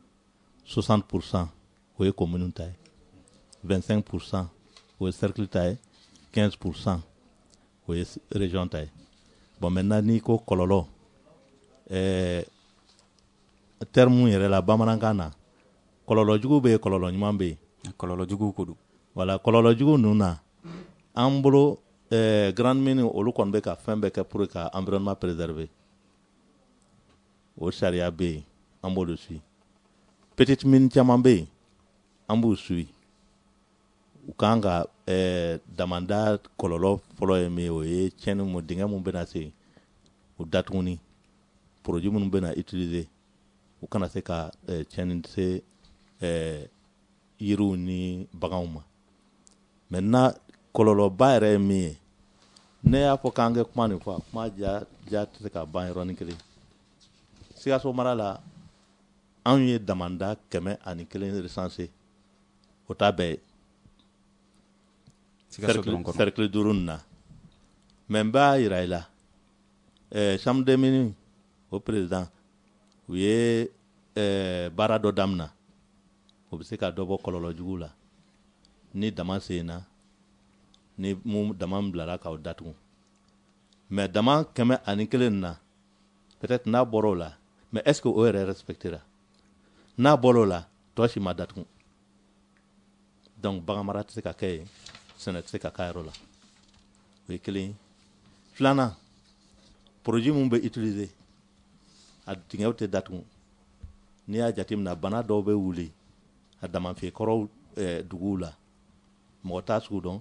soixante pour cent o ye commune ta ye, vingt-cinq pour cent o ye cercle ta ye, quinze pour cent o ye région ta ye. Bon, maintenant, n'i ko kɔlɔlɔ, ɛɛ terme yɛrɛ la bamanankan na, kɔlɔlɔ jugu bɛ yen, kɔlɔlɔ ɲuman bɛ yen. Kɔlɔlɔ jugu ko don. Voilà, kɔlɔlɔ jugu ninnu na, an bolo, ɛɛ grande mine, olu kɔni bɛ ka fɛn bɛɛ kɛ pour ka environnement préserver. O sariya bɛ yen, an b'olu suit. Petite mine caman bɛ yen, an b'u suit. U kan ka ɛɛ damanda kɔlɔlɔ fɔlɔ ye min ye, o ye tiɲɛni mun, dingɛ mun bɛna se o datuguni, produit minnu bɛna utiliser, u kana se ka tiɲɛni se ɛɛ yiriw ni baganw ma. Maintenant, kɔlɔlɔba yɛrɛ ye min ye, ne y'a fɔ k'an kɛ kuma nin fɔ, a kuma ja ja tɛ se ka ban yɔrɔnin kelen. Sikaso mara la, anw ye damanda kɛmɛ ani kelen recensé. O t'a bɛɛ ye. Cercle duuru nin na. Mais n b'a yira i la, ɛɛ chambre des mines o président, u ye ɛɛ baara dɔ daminɛ, o bɛ se ka dɔ bɔ kɔlɔlɔ jugu la. Ni dama senna, ni mun dama bilara k'aw datugu, mais dama kɛmɛ ani kelen na, peut-être n'a bɔra o la, mais est-ce que o yɛrɛ respectera? N'a bɔra o la, tɔ si ma datugu. Donc bagan mara tɛ se ka kɛ yen, sɛnɛ tɛ se ka k'a yɔrɔ la. O ye kelen ye. Filanan, produit mun bɛ utiliser, a dingɛw tɛ datugu. N'i y'a jateminɛ, bana dɔw bɛ wuli a damafiyɛkɔrɔw eh, duguw la, mɔgɔ t'a sugu dɔn,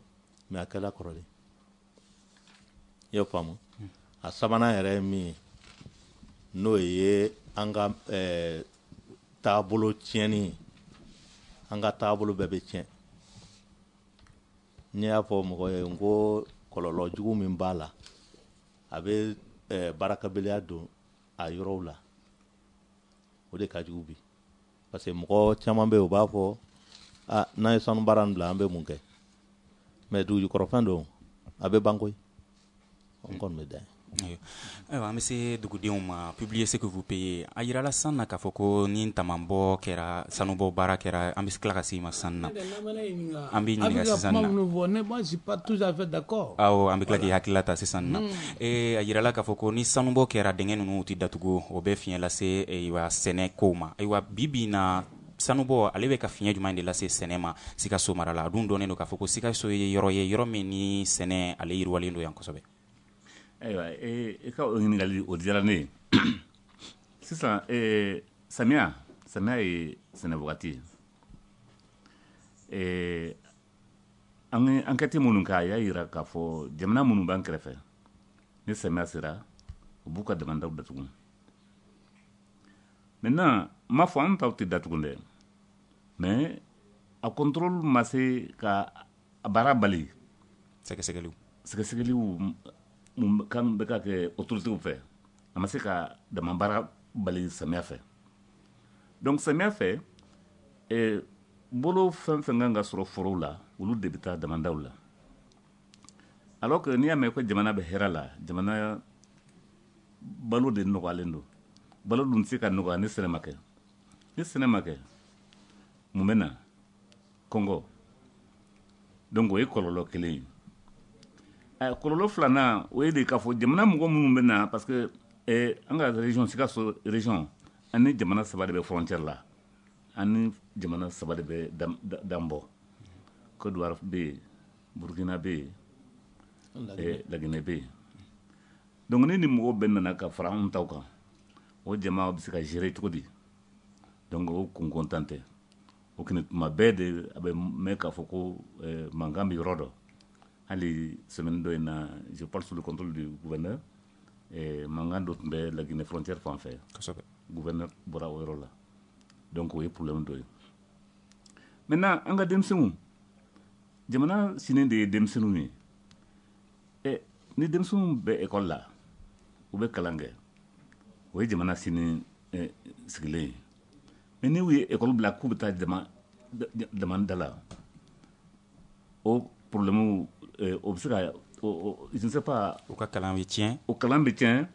mais a kɛla kɔrɔlen. I y'o faamu. A sabanan yɛrɛ ye min ye, n'o ye an ka eh, taabolo tiɲɛni ye. An ka taabolo bɛɛ bɛ tiɲɛ. N'i y'a fɔ mɔgɔ ye n ko kɔlɔlɔ jugu min b'a la, a bɛ eh, baarakɛbaliya don a yɔrɔw la, o de ka jugu bi. Parce que mɔgɔ caman bɛ yen, u b'a fɔ ah, n'an ye sanu baara nin bila, an bɛ mun kɛ? Mais dugujukɔrɔfɛn don, a bɛ ban koyi. N kɔni bɛ dan yen. Ayiwa, an bɛ se dugudenw ma. Publier ce que vous payez. A yirala sisan na k'a fɔ ko ni tamanbɔ kɛra, sanubɔ baara kɛra, an bɛ tila ka se i ma sisan na. An b'i ɲininka sisan na. Ne, moi, je suis pas tout à fait d'accord. Awɔ, an bɛ tila k'i hakilila ta sisan na. Ee a yirala k'a fɔ ko ni sanubɔ kɛra, dingɛ ninnu tɛ datugu, o bɛ fiɲɛ lase ayiwa sɛnɛ kow ma. Ayiwa, bi bi in na, sanubɔ ale bɛ ka fiɲɛ jumɛn de lase sɛnɛ ma Sikaso mara la? A dun dɔnnen don k'a fɔ ko Sikaso ye yɔrɔ ye, yɔrɔ min ni sɛnɛ ale yiriwalen don yan kosɛbɛ. Ayiwa, i ka o ɲininkali o diyara ne ye. Sisan samiya samiya ye sɛnɛ wagati ye. An ye enquête minnu kɛ, a y'a yira k'a fɔ jamana minnu b'an kɛrɛfɛ, ni samiya sera, u b'u ka damandaw datugu. Maintenant, n m'a fɔ an taw tɛ datugu dɛ, mais a contrôle ma se ka a baara bali. Sɛgɛsɛgɛliw sɛgɛsɛgɛliw mun kan bɛ ka kɛ autorités fɛ, a ma se ka dama baara bali samiya fɛ. Donc samiya fɛ, eh, bolo fɛn fɛn kan ka sɔrɔ forow la, olu de bɛ taa damandaw la. Alors que n'i y'a mɛn ko jamana bɛ hɛrɛ la, jamana balo de nɔgɔyalen don. Balo dun tɛ se ka nɔgɔya ni sɛnɛ ma kɛ. Ni sɛnɛ ma kɛ, mun bɛ na? Kɔngɔ. Donc o ye kɔlɔlɔ kelen ye. Kɔlɔlɔ filanan, o ye de k'a fɔ jamana mɔgɔ minnu bɛ na, parce que eh, an ka région, Sikaso région, an ni jamana saba de bɛ frontière la, an ni jamana saba de bɛ dan bɔ. Côte d'Ivoire bɛ yen, Burkina bɛ yen, Laginɛ bɛ yen. Donc ni ni mɔgɔw bɛɛ nana ka fara anw taw kan, o jama bɛ se ka gérer cogo di? Donc o kun kɔntan tɛ. O kɔni tuma bɛɛ de a bɛ mɛn k'a fɔ ko eh, mankan bɛ yɔrɔ dɔ. Hali semaine dɔ in na, je parle sous le contrôle du gouverneur, eh, mankan dɔ tun bɛ Laginɛ frontière fan fɛ. Kosɛbɛ. Gouverneur bɔra o yɔrɔ la. Donc o ye problème dɔ ye. Maintenant, an ka denmisɛnninw, jamana sini de ye denmisɛnninw ye. Eh, ni denmisɛnninw bɛ école la, u bɛ kalan kɛ, o ye jamana sini eh, sigilen ye. Mais n'u ye école bila k'u bɛ taa jama dama da la, o problème o bɛ se ka, je ne sais pas. U ka kalan bɛ tiɲɛ. O kalan bɛ tiɲɛ,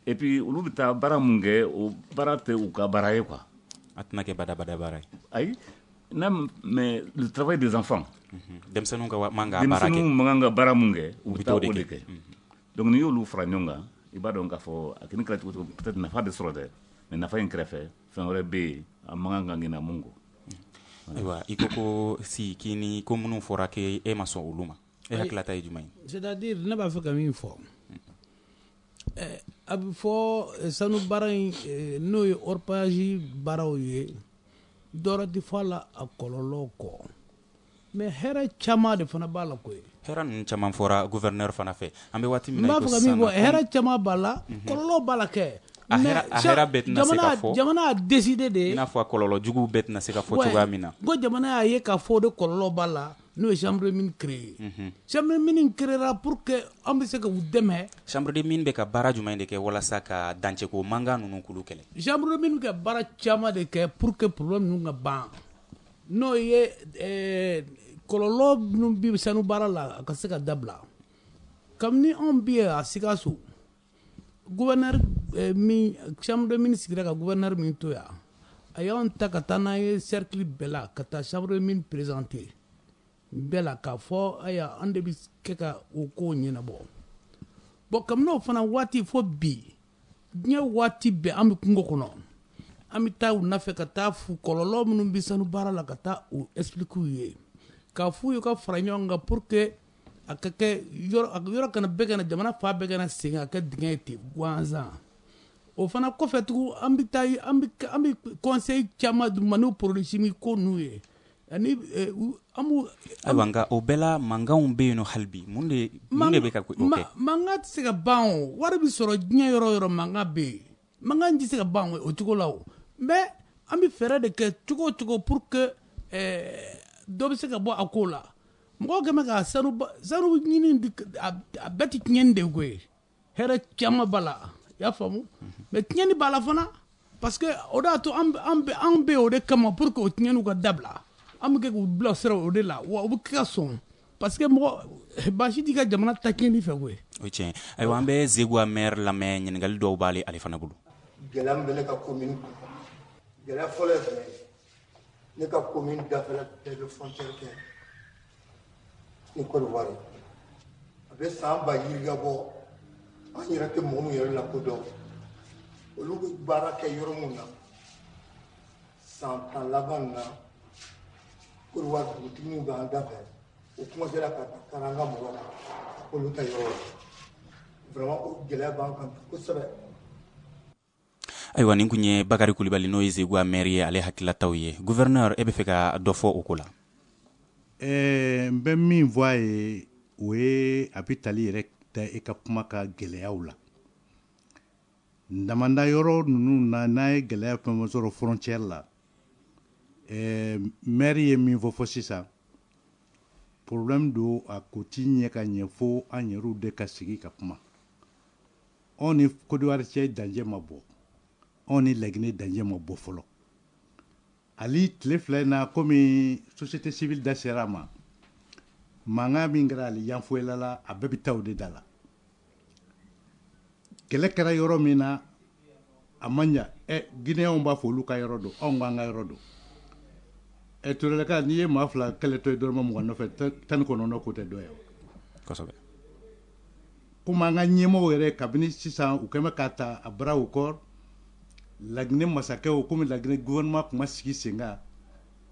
et puis olu bɛ taa baara mun kɛ, o baara tɛ u ka baara ye quoi. A tɛna kɛ badabada baara ye. Ayi, non, mais le travail des enfants. Denmisɛnninw ka man ka baara kɛ. Denmisɛnninw man kan ka baara mun kɛ, u bɛ taa o de kɛ. Donc n'i y'olu fara ɲɔgɔn kan, i b'a dɔn k'a fɔ a kɔni kɛra cogo cogo, peut-être nafa bɛ sɔrɔ dɛ, mais nafa in kɛrɛfɛ, fɛn wɛrɛ bɛ yen a man kan ka ɲinɛ mun kɔ. Ayiwa, i ko ko si k'i ni ko minnu fɔra k'e e ma sɔn olu ma, e hakililata ye jumɛn ye? C'est-à-dire, ne b'a fɛ ka min fɔ, a bɛ fɔ sanu baara in, n'o ye orpaillage baaraw ye, dɔwɛrɛ tɛ fɔ a la a kɔlɔlɔ kɔ, mais hɛrɛ caman de fana b'a la koyi. Hɛrɛ ninnu caman fɔra gouverneur fana fɛ. An bɛ waati min na, na, n b'a fɛ ka min fɔ, hɛrɛ caman b'a la, kɔlɔlɔ b'a la kɛ. A hɛrɛ bɛɛ tɛna se ka fɔ. Jamana y'a décidé de. I n'a fɔ a kɔlɔlɔ juguw bɛɛ tɛna se ka fɔ cogoya min na. Ko jamana y'a ye k'a fɔ o de kɔlɔlɔ b'a la, n'o ye chambre de mine créé. Chambre de mine créera pour que an bɛ se ka u dɛmɛ. Chambre de mine bɛ ka baara jumɛn de kɛ walasa ka dancɛko mankan ninnu k'olu kɛlɛ? Chambre de mine bɛ ka baara caman de kɛ pour que problème ninnu ka ban. N'o ye ɛɛ kɔlɔlɔ minnu bɛ sanu baara la, a ka se ka dabila. Kabini anw bɛ yen a Sikaso, gouverneur min, chambre de mine sigira ka gouverneur min to yan, a y'anw ta ka taa n'an ye cercle bɛɛ la, ka taa chambre de mine présenter bɛɛ la, k'a fɔ ayiwa, an de bɛ kɛ ka o kow ɲɛnabɔ. Bon, kabini o fana waati fo bi, diɲɛ waati bɛɛ an bɛ kungo kɔnɔ, an bɛ taa u nɔfɛ ka taa fu kɔlɔlɔ minnu bɛ sanu baara la, ka taa o expliquer u ye, k'a f'u ye ka fara ɲɔgɔn kan pour que a ka kɛ yɔrɔ yɔrɔ kana bɛɛ kana jamana fa bɛɛ kana segin a kɛ dingɛ ye ten gansan. O fana kɔfɛ tugun, an bɛ taa an bɛ an bɛ conseil caman d'u ma n'o produit chimique ko ninnu ye, ani an b'u. Ayiwa, nka o bɛɛ la mankanw bɛ yen nɔ hali bi. Mun de mun de bɛ ka o kɛ? Mankan tɛ se ka ban o. Wari bɛ sɔrɔ diɲɛ yɔrɔ o yɔrɔ, mankan bɛ yen. Mankan tɛ se ka ban o cogo la o. Mais an bɛ fɛɛrɛ de kɛ cogo o cogo pour que dɔ bɛ se ka bɔ a ko la. Mɔgɔw kɛn bɛ ka sanu sanu ɲini, a bɛɛ tɛ tiɲɛni de ye koyi. Hɛrɛ caman b'a la, i y'a faamu. Mais tiɲɛni b'a la fana, parce que o de y'a to an an bɛ an bɛ o de kama pour que o tiɲɛniw ka dabila. An bɛ kɛ k'u bila sira o de la, wa u bɛ kɛ ka sɔn, parce que mɔgɔ baasi t'i ka jamana ta tiɲɛni fɛ koyi. O tiɲɛ. Ayiwa, an bɛ Zeguwa maire lamɛn, ɲininkali dɔw b'ale ale fana bolo. Gɛlɛya min bɛ ne ka commune kɔnɔ, gɛlɛya fɔlɔ ye jumɛn ye? Ne ka commune dafɛla bɛɛ bɛ frontière kɛ ni Côte d'Ivoire ye. A bɛ san ba yirika bɔ, an yɛrɛ tɛ mɔgɔ min yɛrɛ lakodɔn, olu bɛ baara kɛ yɔrɔ min na. San tan laban na, Côte d'Ivoire dugutigi min b'an da fɛ, o commencera ka kari an ka mɔgɔw kan olu ta yɔrɔ la. Vraiment, o gɛlɛya b'an kan kosɛbɛ. Ayiwa, nin kun ye Bakari Kulibali, n'o ye Zeguwa maire ye, ale hakililataw ye. Gouverneur, e bɛ fɛ ka dɔ fɔ o ko la? Ɛɛ n bɛ min fɔ a ye, o ye a bɛ tali yɛrɛ ta e ka kuma ka gɛlɛyaw la. Damanda yɔrɔ ninnu na, n'a ye gɛlɛya fɛn fɛn sɔrɔ frontière la, ɛɛ maire ye min fɔ fɔ sisan, problème don, a ko ti ɲɛ ka ɲɛ fo an yɛrɛw de ka sigi ka kuma. Anw ni Côte d'Ivoire cɛ danger ma bɔ, anw ni Laginɛ danger ma bɔ fɔlɔ. Ali tile fila in na, komi société civile da sera a ma, mankan min kɛra ali Yanfolila la, a bɛɛ bɛ taa o de da la. Kɛlɛ kɛra yɔrɔ min na, a ma ɲa. Ɛ Guinéenw b'a fɔ olu ka yɔrɔ don, anw k'an ka yɔrɔ don. Ɛ Turelaka, n'i ye maa fila kɛlɛtɔ ye dɔrɔmɛ mugan nɔfɛ, tan ni kɔnɔntɔn ko tɛ dɔ ye. Kosɛbɛ. Komi an ka ɲɛmɔgɔw yɛrɛ, kabini sisan u kɛn bɛ k'a ta à bras au corps Laginɛ masakɛw, komi Laginɛ gouvernement tun ma sigi sen kan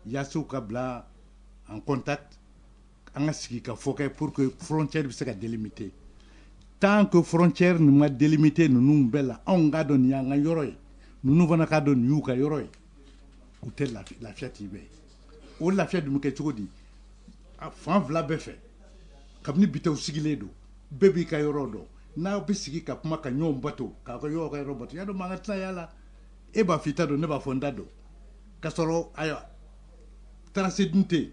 yaasa u ka bila en contact, an ka sigi ka fɔ kɛ pour que frontière bɛ se ka délimiter. Tant que frontière nin ma délimiter ninnu bɛɛ la, anw k'a dɔn nin y'an ka yɔrɔ ye, ninnu fana k'a dɔn nin y'u ka yɔrɔ ye, u tɛ lafiya, lafiya t'i bɛɛ ye. O lafiya dun bɛ kɛ cogo di? Fan fila bɛɛ fɛ, kabini bitɔnw sigilen don, bɛɛ b'i ka yɔrɔ dɔn. N'aw bɛ sigi ka kuma ka ɲɔgɔn bato, k'aw ka yɔrɔ ka yɔrɔ bato, y'a dɔn mankan tɛna y'a la. E b'a fɔ i ta don, ne b'a fɔ n ta don, k'a sɔrɔ ayiwa tracé dun tɛ yen.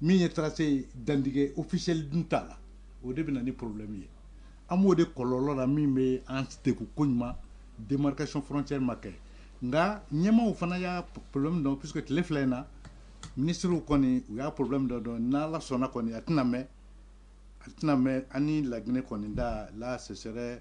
Min ye tracé dantigɛ officiel dun t'a la, o de bɛ na ni problème ye. An b'o de kɔlɔlɔ la min bɛ an degun koɲuman, démarcation frontière ma kɛ. Nka ɲɛmaaw fana y'a problème dɔn, puisque tile fila in na ministres kɔni u y'a problème dɔ dɔn. N'Ala sɔnna kɔni, a tɛna mɛn, a tɛna mɛn, an ni Laginɛ kɔni da la, ce serait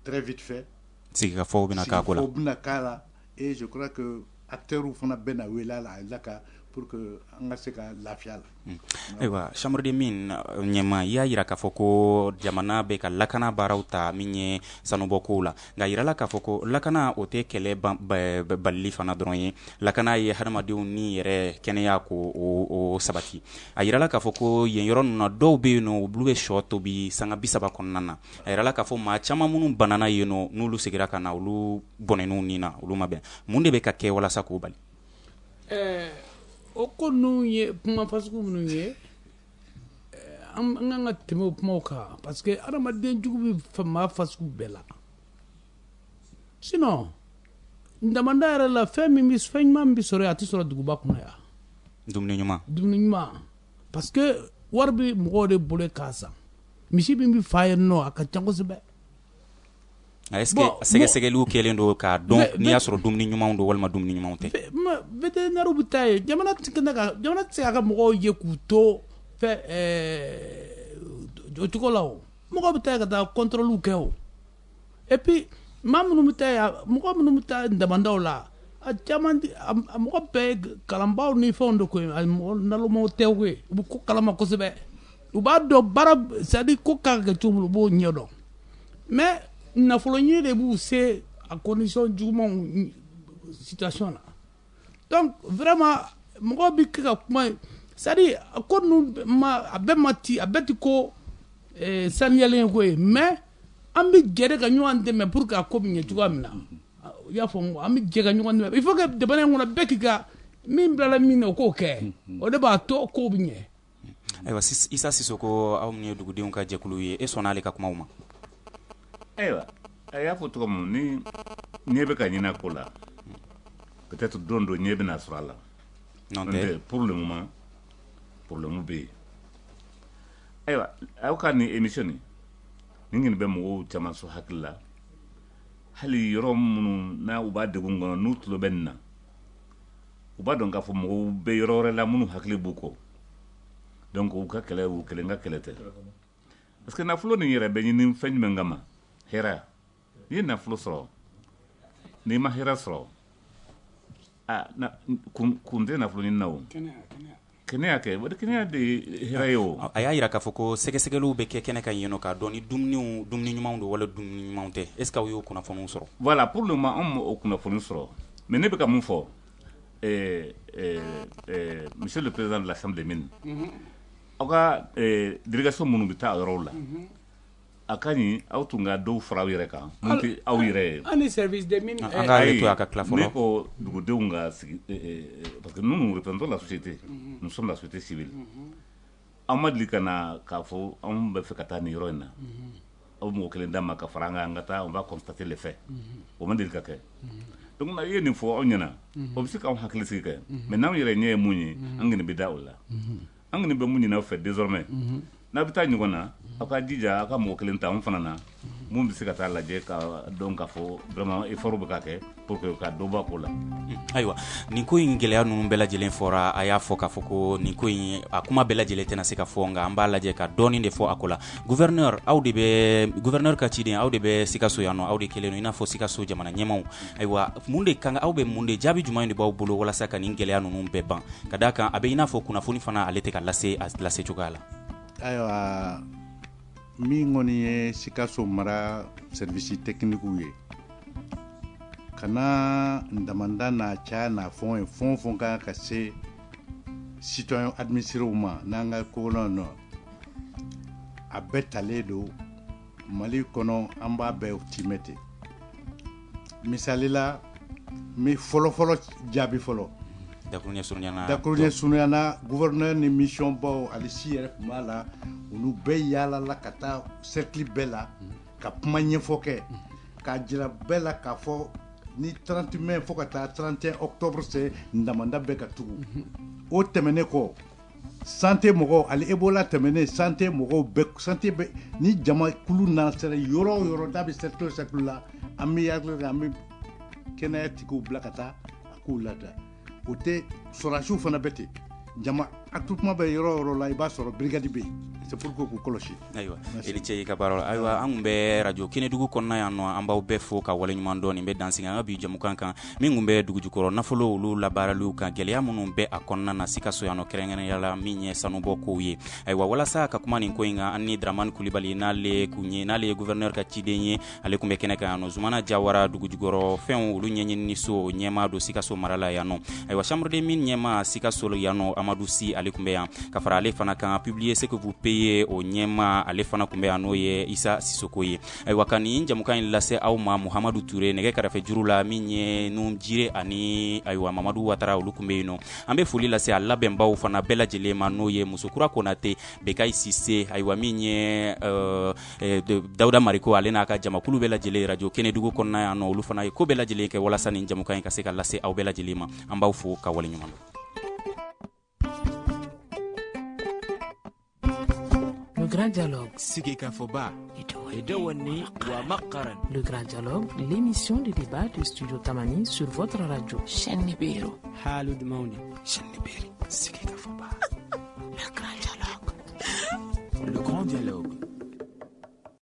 très vite fait. Sigikafɔw bɛna k'a ko la. Sigikafɔw bɛna k'a la, et je crois que acteurs fana bɛna wele a la a la ka pour que an ka se ka lafiya la. Ayiwa, chambre de mine ɲɛma, i y'a yira k'a fɔ ko jamana bɛ ka lakana baaraw ta min ye sanubɔkow la. Nka yirala k'a fɔ ko lakana o tɛ kɛlɛ balili fana dɔrɔn ye. Lakana ye hadamadenw ni yɛrɛ kɛnɛya ko o sabati. A yirala k'a fɔ ko yen yɔrɔ ninnu na, dɔw bɛ yen nɔ, olu bɛ sɔ tobi sanga bi saba kɔnɔna na. A yirala k'a fɔ maa caman minnu banana yen nɔ, n'olu seginna ka na, olu bɔnɛn'u ni na, olu ma bɛn. Mun de bɛ ka kɛ walasa k'o bali? Ɛɛ o ko ninnu ye kuma fasugu minnu ye, an kan ka tɛmɛ o kumaw kan, parce que adamaden jugu bɛ maa fasugu bɛɛ la. Sinon damanda yɛrɛ la, fɛn min bɛ, fɛn ɲuman min bɛ sɔrɔ yen, a tɛ sɔrɔ duguba kɔnɔ yan. Dumuni ɲuman. Dumuni ɲuman, parce que wari bɛ mɔgɔw de bolo k'a san. Misi min bɛ fa yen nɔ, a ka ca kosɛbɛ. Est-ce que sɛgɛsɛgɛliw kɛlen don k'a dɔn n'i y'a sɔrɔ dumuni ɲumanw don walima dumuni ɲumanw tɛ? Vétérinaire bɛ taa yen. Jamana tɛ jamana tɛ se k'a ka mɔgɔw ye k'u to fɛ o cogo la o. Mɔgɔw bɛ taa yen ka taa contrôle kɛ o. Et puis maa minnu bɛ taa yen, mɔgɔ minnu bɛ taa damandaw la, a caman a mɔgɔ bɛɛ ye kalanbaaw ni fɛnw de ko ye, mɔgɔ nalomaw tɛ koyi. U bɛ ko kalama kosɛbɛ. U b'a dɔn baara, c'est à dire ko kan ka kɛ cogo min, u b'o ɲɛdɔn. Mais nafolo ɲini de b'u se a condition jugumanw situation na. Donc vraiment mɔgɔw bɛ kɛ ka kuma, c'est à dire ko ninnu ma a bɛɛ ma ti a bɛɛ ti ko saniyalen ko ye, mais an bɛ jɛ de ka ɲɔgɔn dɛmɛ pour que a ko bɛ ɲɛ cogoya min na. I y'a faamu, an bɛ jɛ ka ɲɔgɔn dɛmɛ. Il faut que jamana in kɔnɔ bɛɛ k'i ka min bilala min na o k'o kɛ, o de b'a to kow bɛ ɲɛ. Ayiwa Isa Sisoko, aw minnu ye dugudenw ka jɛkulu ye, e sɔnna ale ka kumaw ma? Ayiwa, a y'a fɔ cogo min, ni ɲɛ bɛ ka ɲini a ko la, peut-être don dɔ ɲɛ bɛna sɔrɔ a la. Non tɛ. Pour le moment, problème bɛ yen. Ayiwa, aw ka nin émission nin, nin kɔni bɛ mɔgɔw caman sɔn hakili la. Hali yɔrɔ minnu n'a u b'a degun kɔnɔ, n'u tulo bɛ nin na, u b'a dɔn k'a fɔ mɔgɔw bɛ yɔrɔ wɛrɛ la minnu hakili b'u kɔ. Donc u ka kɛlɛ, u kelen ka kɛlɛ tɛ. Parce que nafolo nin yɛrɛ bɛ ɲini fɛn jumɛn kama? Hɛrɛ. N'i ye nafolo sɔrɔ, n'i ma hɛrɛ sɔrɔ, a na kun kun tɛ nafolo ɲini na o. Kɛnɛya kɛ, o de kɛnɛya de ye hɛrɛ ye o. A y'a jira k'a fɔ ko sɛgɛsɛgɛliw bɛ kɛ kɛnɛ kan yen nɔ k'a dɔn ni dumuniw dumuni ɲumanw don wala dumuni ɲumanw tɛ. Est ce que aw y'o kunnafoniw sɔrɔ? Voilà, pour le moment anw m'o kunnafoni sɔrɔ. Mais ne bɛ ka mun fɔ, ɛɛ ɛɛ monsieur le président de la chambre des mines, aw ka délégation minnu bɛ taa a yɔrɔw la, a ka ɲi aw tun ka dɔw fara aw yɛrɛ kan mun tɛ aw yɛrɛ ye. An ni service des mines. An k'ale to a ka tila fɔlɔ. Ne ko dugudenw ka sigi, parce que nous nous représentons la société, nous sommes la société civile. Aw ma deli ka na k'a fɔ anw bɛ fɛ ka taa nin yɔrɔ in na, aw mɔgɔ kelen d'an ma ka fara an kan, an ka taa, on va constater les faits. O ma deli ka kɛ. Donc n'a ye nin fɔ aw ɲɛna, o bɛ se k'anw hakili sigi kɛ. Mais n'anw yɛrɛ ɲɛ ye mun ye, an kɔni bɛ da o la. An kɔni bɛ mun ɲini aw fɛ désormais, n'a bɛ taa ɲɔgɔn na, aw ka jija aw ka mɔgɔ kelen ta anw fana na, mun bɛ se ka taa lajɛ ka dɔn k'a fɔ vraiment effort bɛ ka kɛ pour que ka dɔ bɔ a ko la. Ayiwa, nin ko in gɛlɛya ninnu bɛɛ lajɛlen fɔra, a y'a fɔ k'a fɔ ko nin ko in a kuma bɛɛ lajɛlen tɛna se ka fɔ, nka an b'a lajɛ ka dɔɔnin de fɔ a ko la. Gouverneur, aw de bɛ gouverneur ka ciden, aw de bɛ Sikaso yan nɔ, aw de kɛlen don i n'a fɔ Sikaso jamana ɲɛmaaw. Ayiwa, mun de kan aw bɛ mun de jaabi jumɛn de b'aw bolo walasa ka nin gɛlɛya ninnu bɛɛ ban, ka d'a kan a bɛ i n'a fɔ kunnafoni fana ale tɛ ka lase a lase cogoya la? Ayiwa, min kɔni ye Sikaso mara service technique ye, ka na damanda n'a caya n'a fɛn ye, fɛn o fɛn kan ka se citoyen administrés ma n'an ka ko nɔ, a bɛɛ talen don Mali kɔnɔ, an b'a bɛɛ timɛ ten. Misali la, n bɛ fɔlɔ-fɔlɔ jaabi fɔlɔ. Dakuruɲɛ surunyana. Dakuruɲɛ surunyana, gouverneur ni mission baw ale si yɛrɛ tun b'a la, olu bɛɛ yaalala ka taa cercle bɛɛ la ka kuma ɲɛfɔ kɛ, k'a jira bɛɛ la k'a fɔ ni trente mai fo ka taa trente et un octobre se damanda bɛɛ ka tugu. O tɛmɛnen kɔ, santé mɔgɔw, ale Ebola tɛmɛnen, santé mɔgɔw bɛɛ, santé bɛ ni jama kulu nana sera yɔrɔ o yɔrɔ n'a bɛ cercle o cercle la, an bɛ yaala, an bɛ kɛnɛya tigiw bila ka taa a k'u lada. O tɛ sɔrɔdasiw fana bɛ ten, jama attroupement bɛ yɔrɔ o yɔrɔ la, i b'a sɔrɔ brigade bɛ yen, c'est pour que k'u kɔlɔsi. Ayiwa, i ni ce i ka baara la. Ayiwa, an tun bɛ radio Kɛnɛdugu kɔnɔna yan nɔ, an b'aw bɛɛ fo ka waleɲuman dɔn. Nin bɛ dansigi an ka bi jɛmukan kan min tun bɛ dugujukɔrɔ nafolo olu labaaraliw kan, gɛlɛya minnu bɛ a kɔnɔna na Sikaso yan nɔ, kɛrɛnkɛrɛnnenya la min ye sanubɔ kow ye. Ayiwa, walasa ka kuma nin ko in kan, an ni Dramane Kulibali, n'ale kun ye n'ale ye gouverneur ka ciden ye, ale tun bɛ kɛnɛ kan yan nɔ. Zumana Jawara, dugujukɔrɔ fɛnw olu ɲɛɲinini so ɲɛmaa don Sikaso mara la yan nɔ. Ayiwa, chambre des mines ɲɛmaa Sikaso yan nɔ, Amadou Sy, ale tun bɛ yan. Ka fara ale fana kan, publier ce que vous payez o ɲɛma, ale fana tun bɛ yan, n'o ye Isa Sisoko ye. Ayiwa, ka nin jamukan in lase aw ma, Muhamadu Ture nɛgɛ kɛrɛfɛ juru la, min ye Nun Jire ani ayiwa Mamadu Watara, olu tun bɛ yen nɔ. An bɛ foli lase a labɛnbaw fana bɛɛ lajɛlen ma, n'o ye Musokura Konate, Bekayi Sise, ayiwa min ye Dawuda Mariko, ale n'a ka jamakulu bɛɛ lajɛlen radio Kɛnɛdugu kɔnɔna yan nɔ, olu fana ye ko bɛɛ lajɛlen kɛ walasa nin jamukan in ka se ka lase aw bɛɛ lajɛlen ma. An b'aw fo ka waleɲuman dɔn. Le grand dialogue. Sigikafɔba. Et tout. Le Grand Dialogue, l'émission de débat du Studio Tamani sur votre radio. Le Grand Dialogue.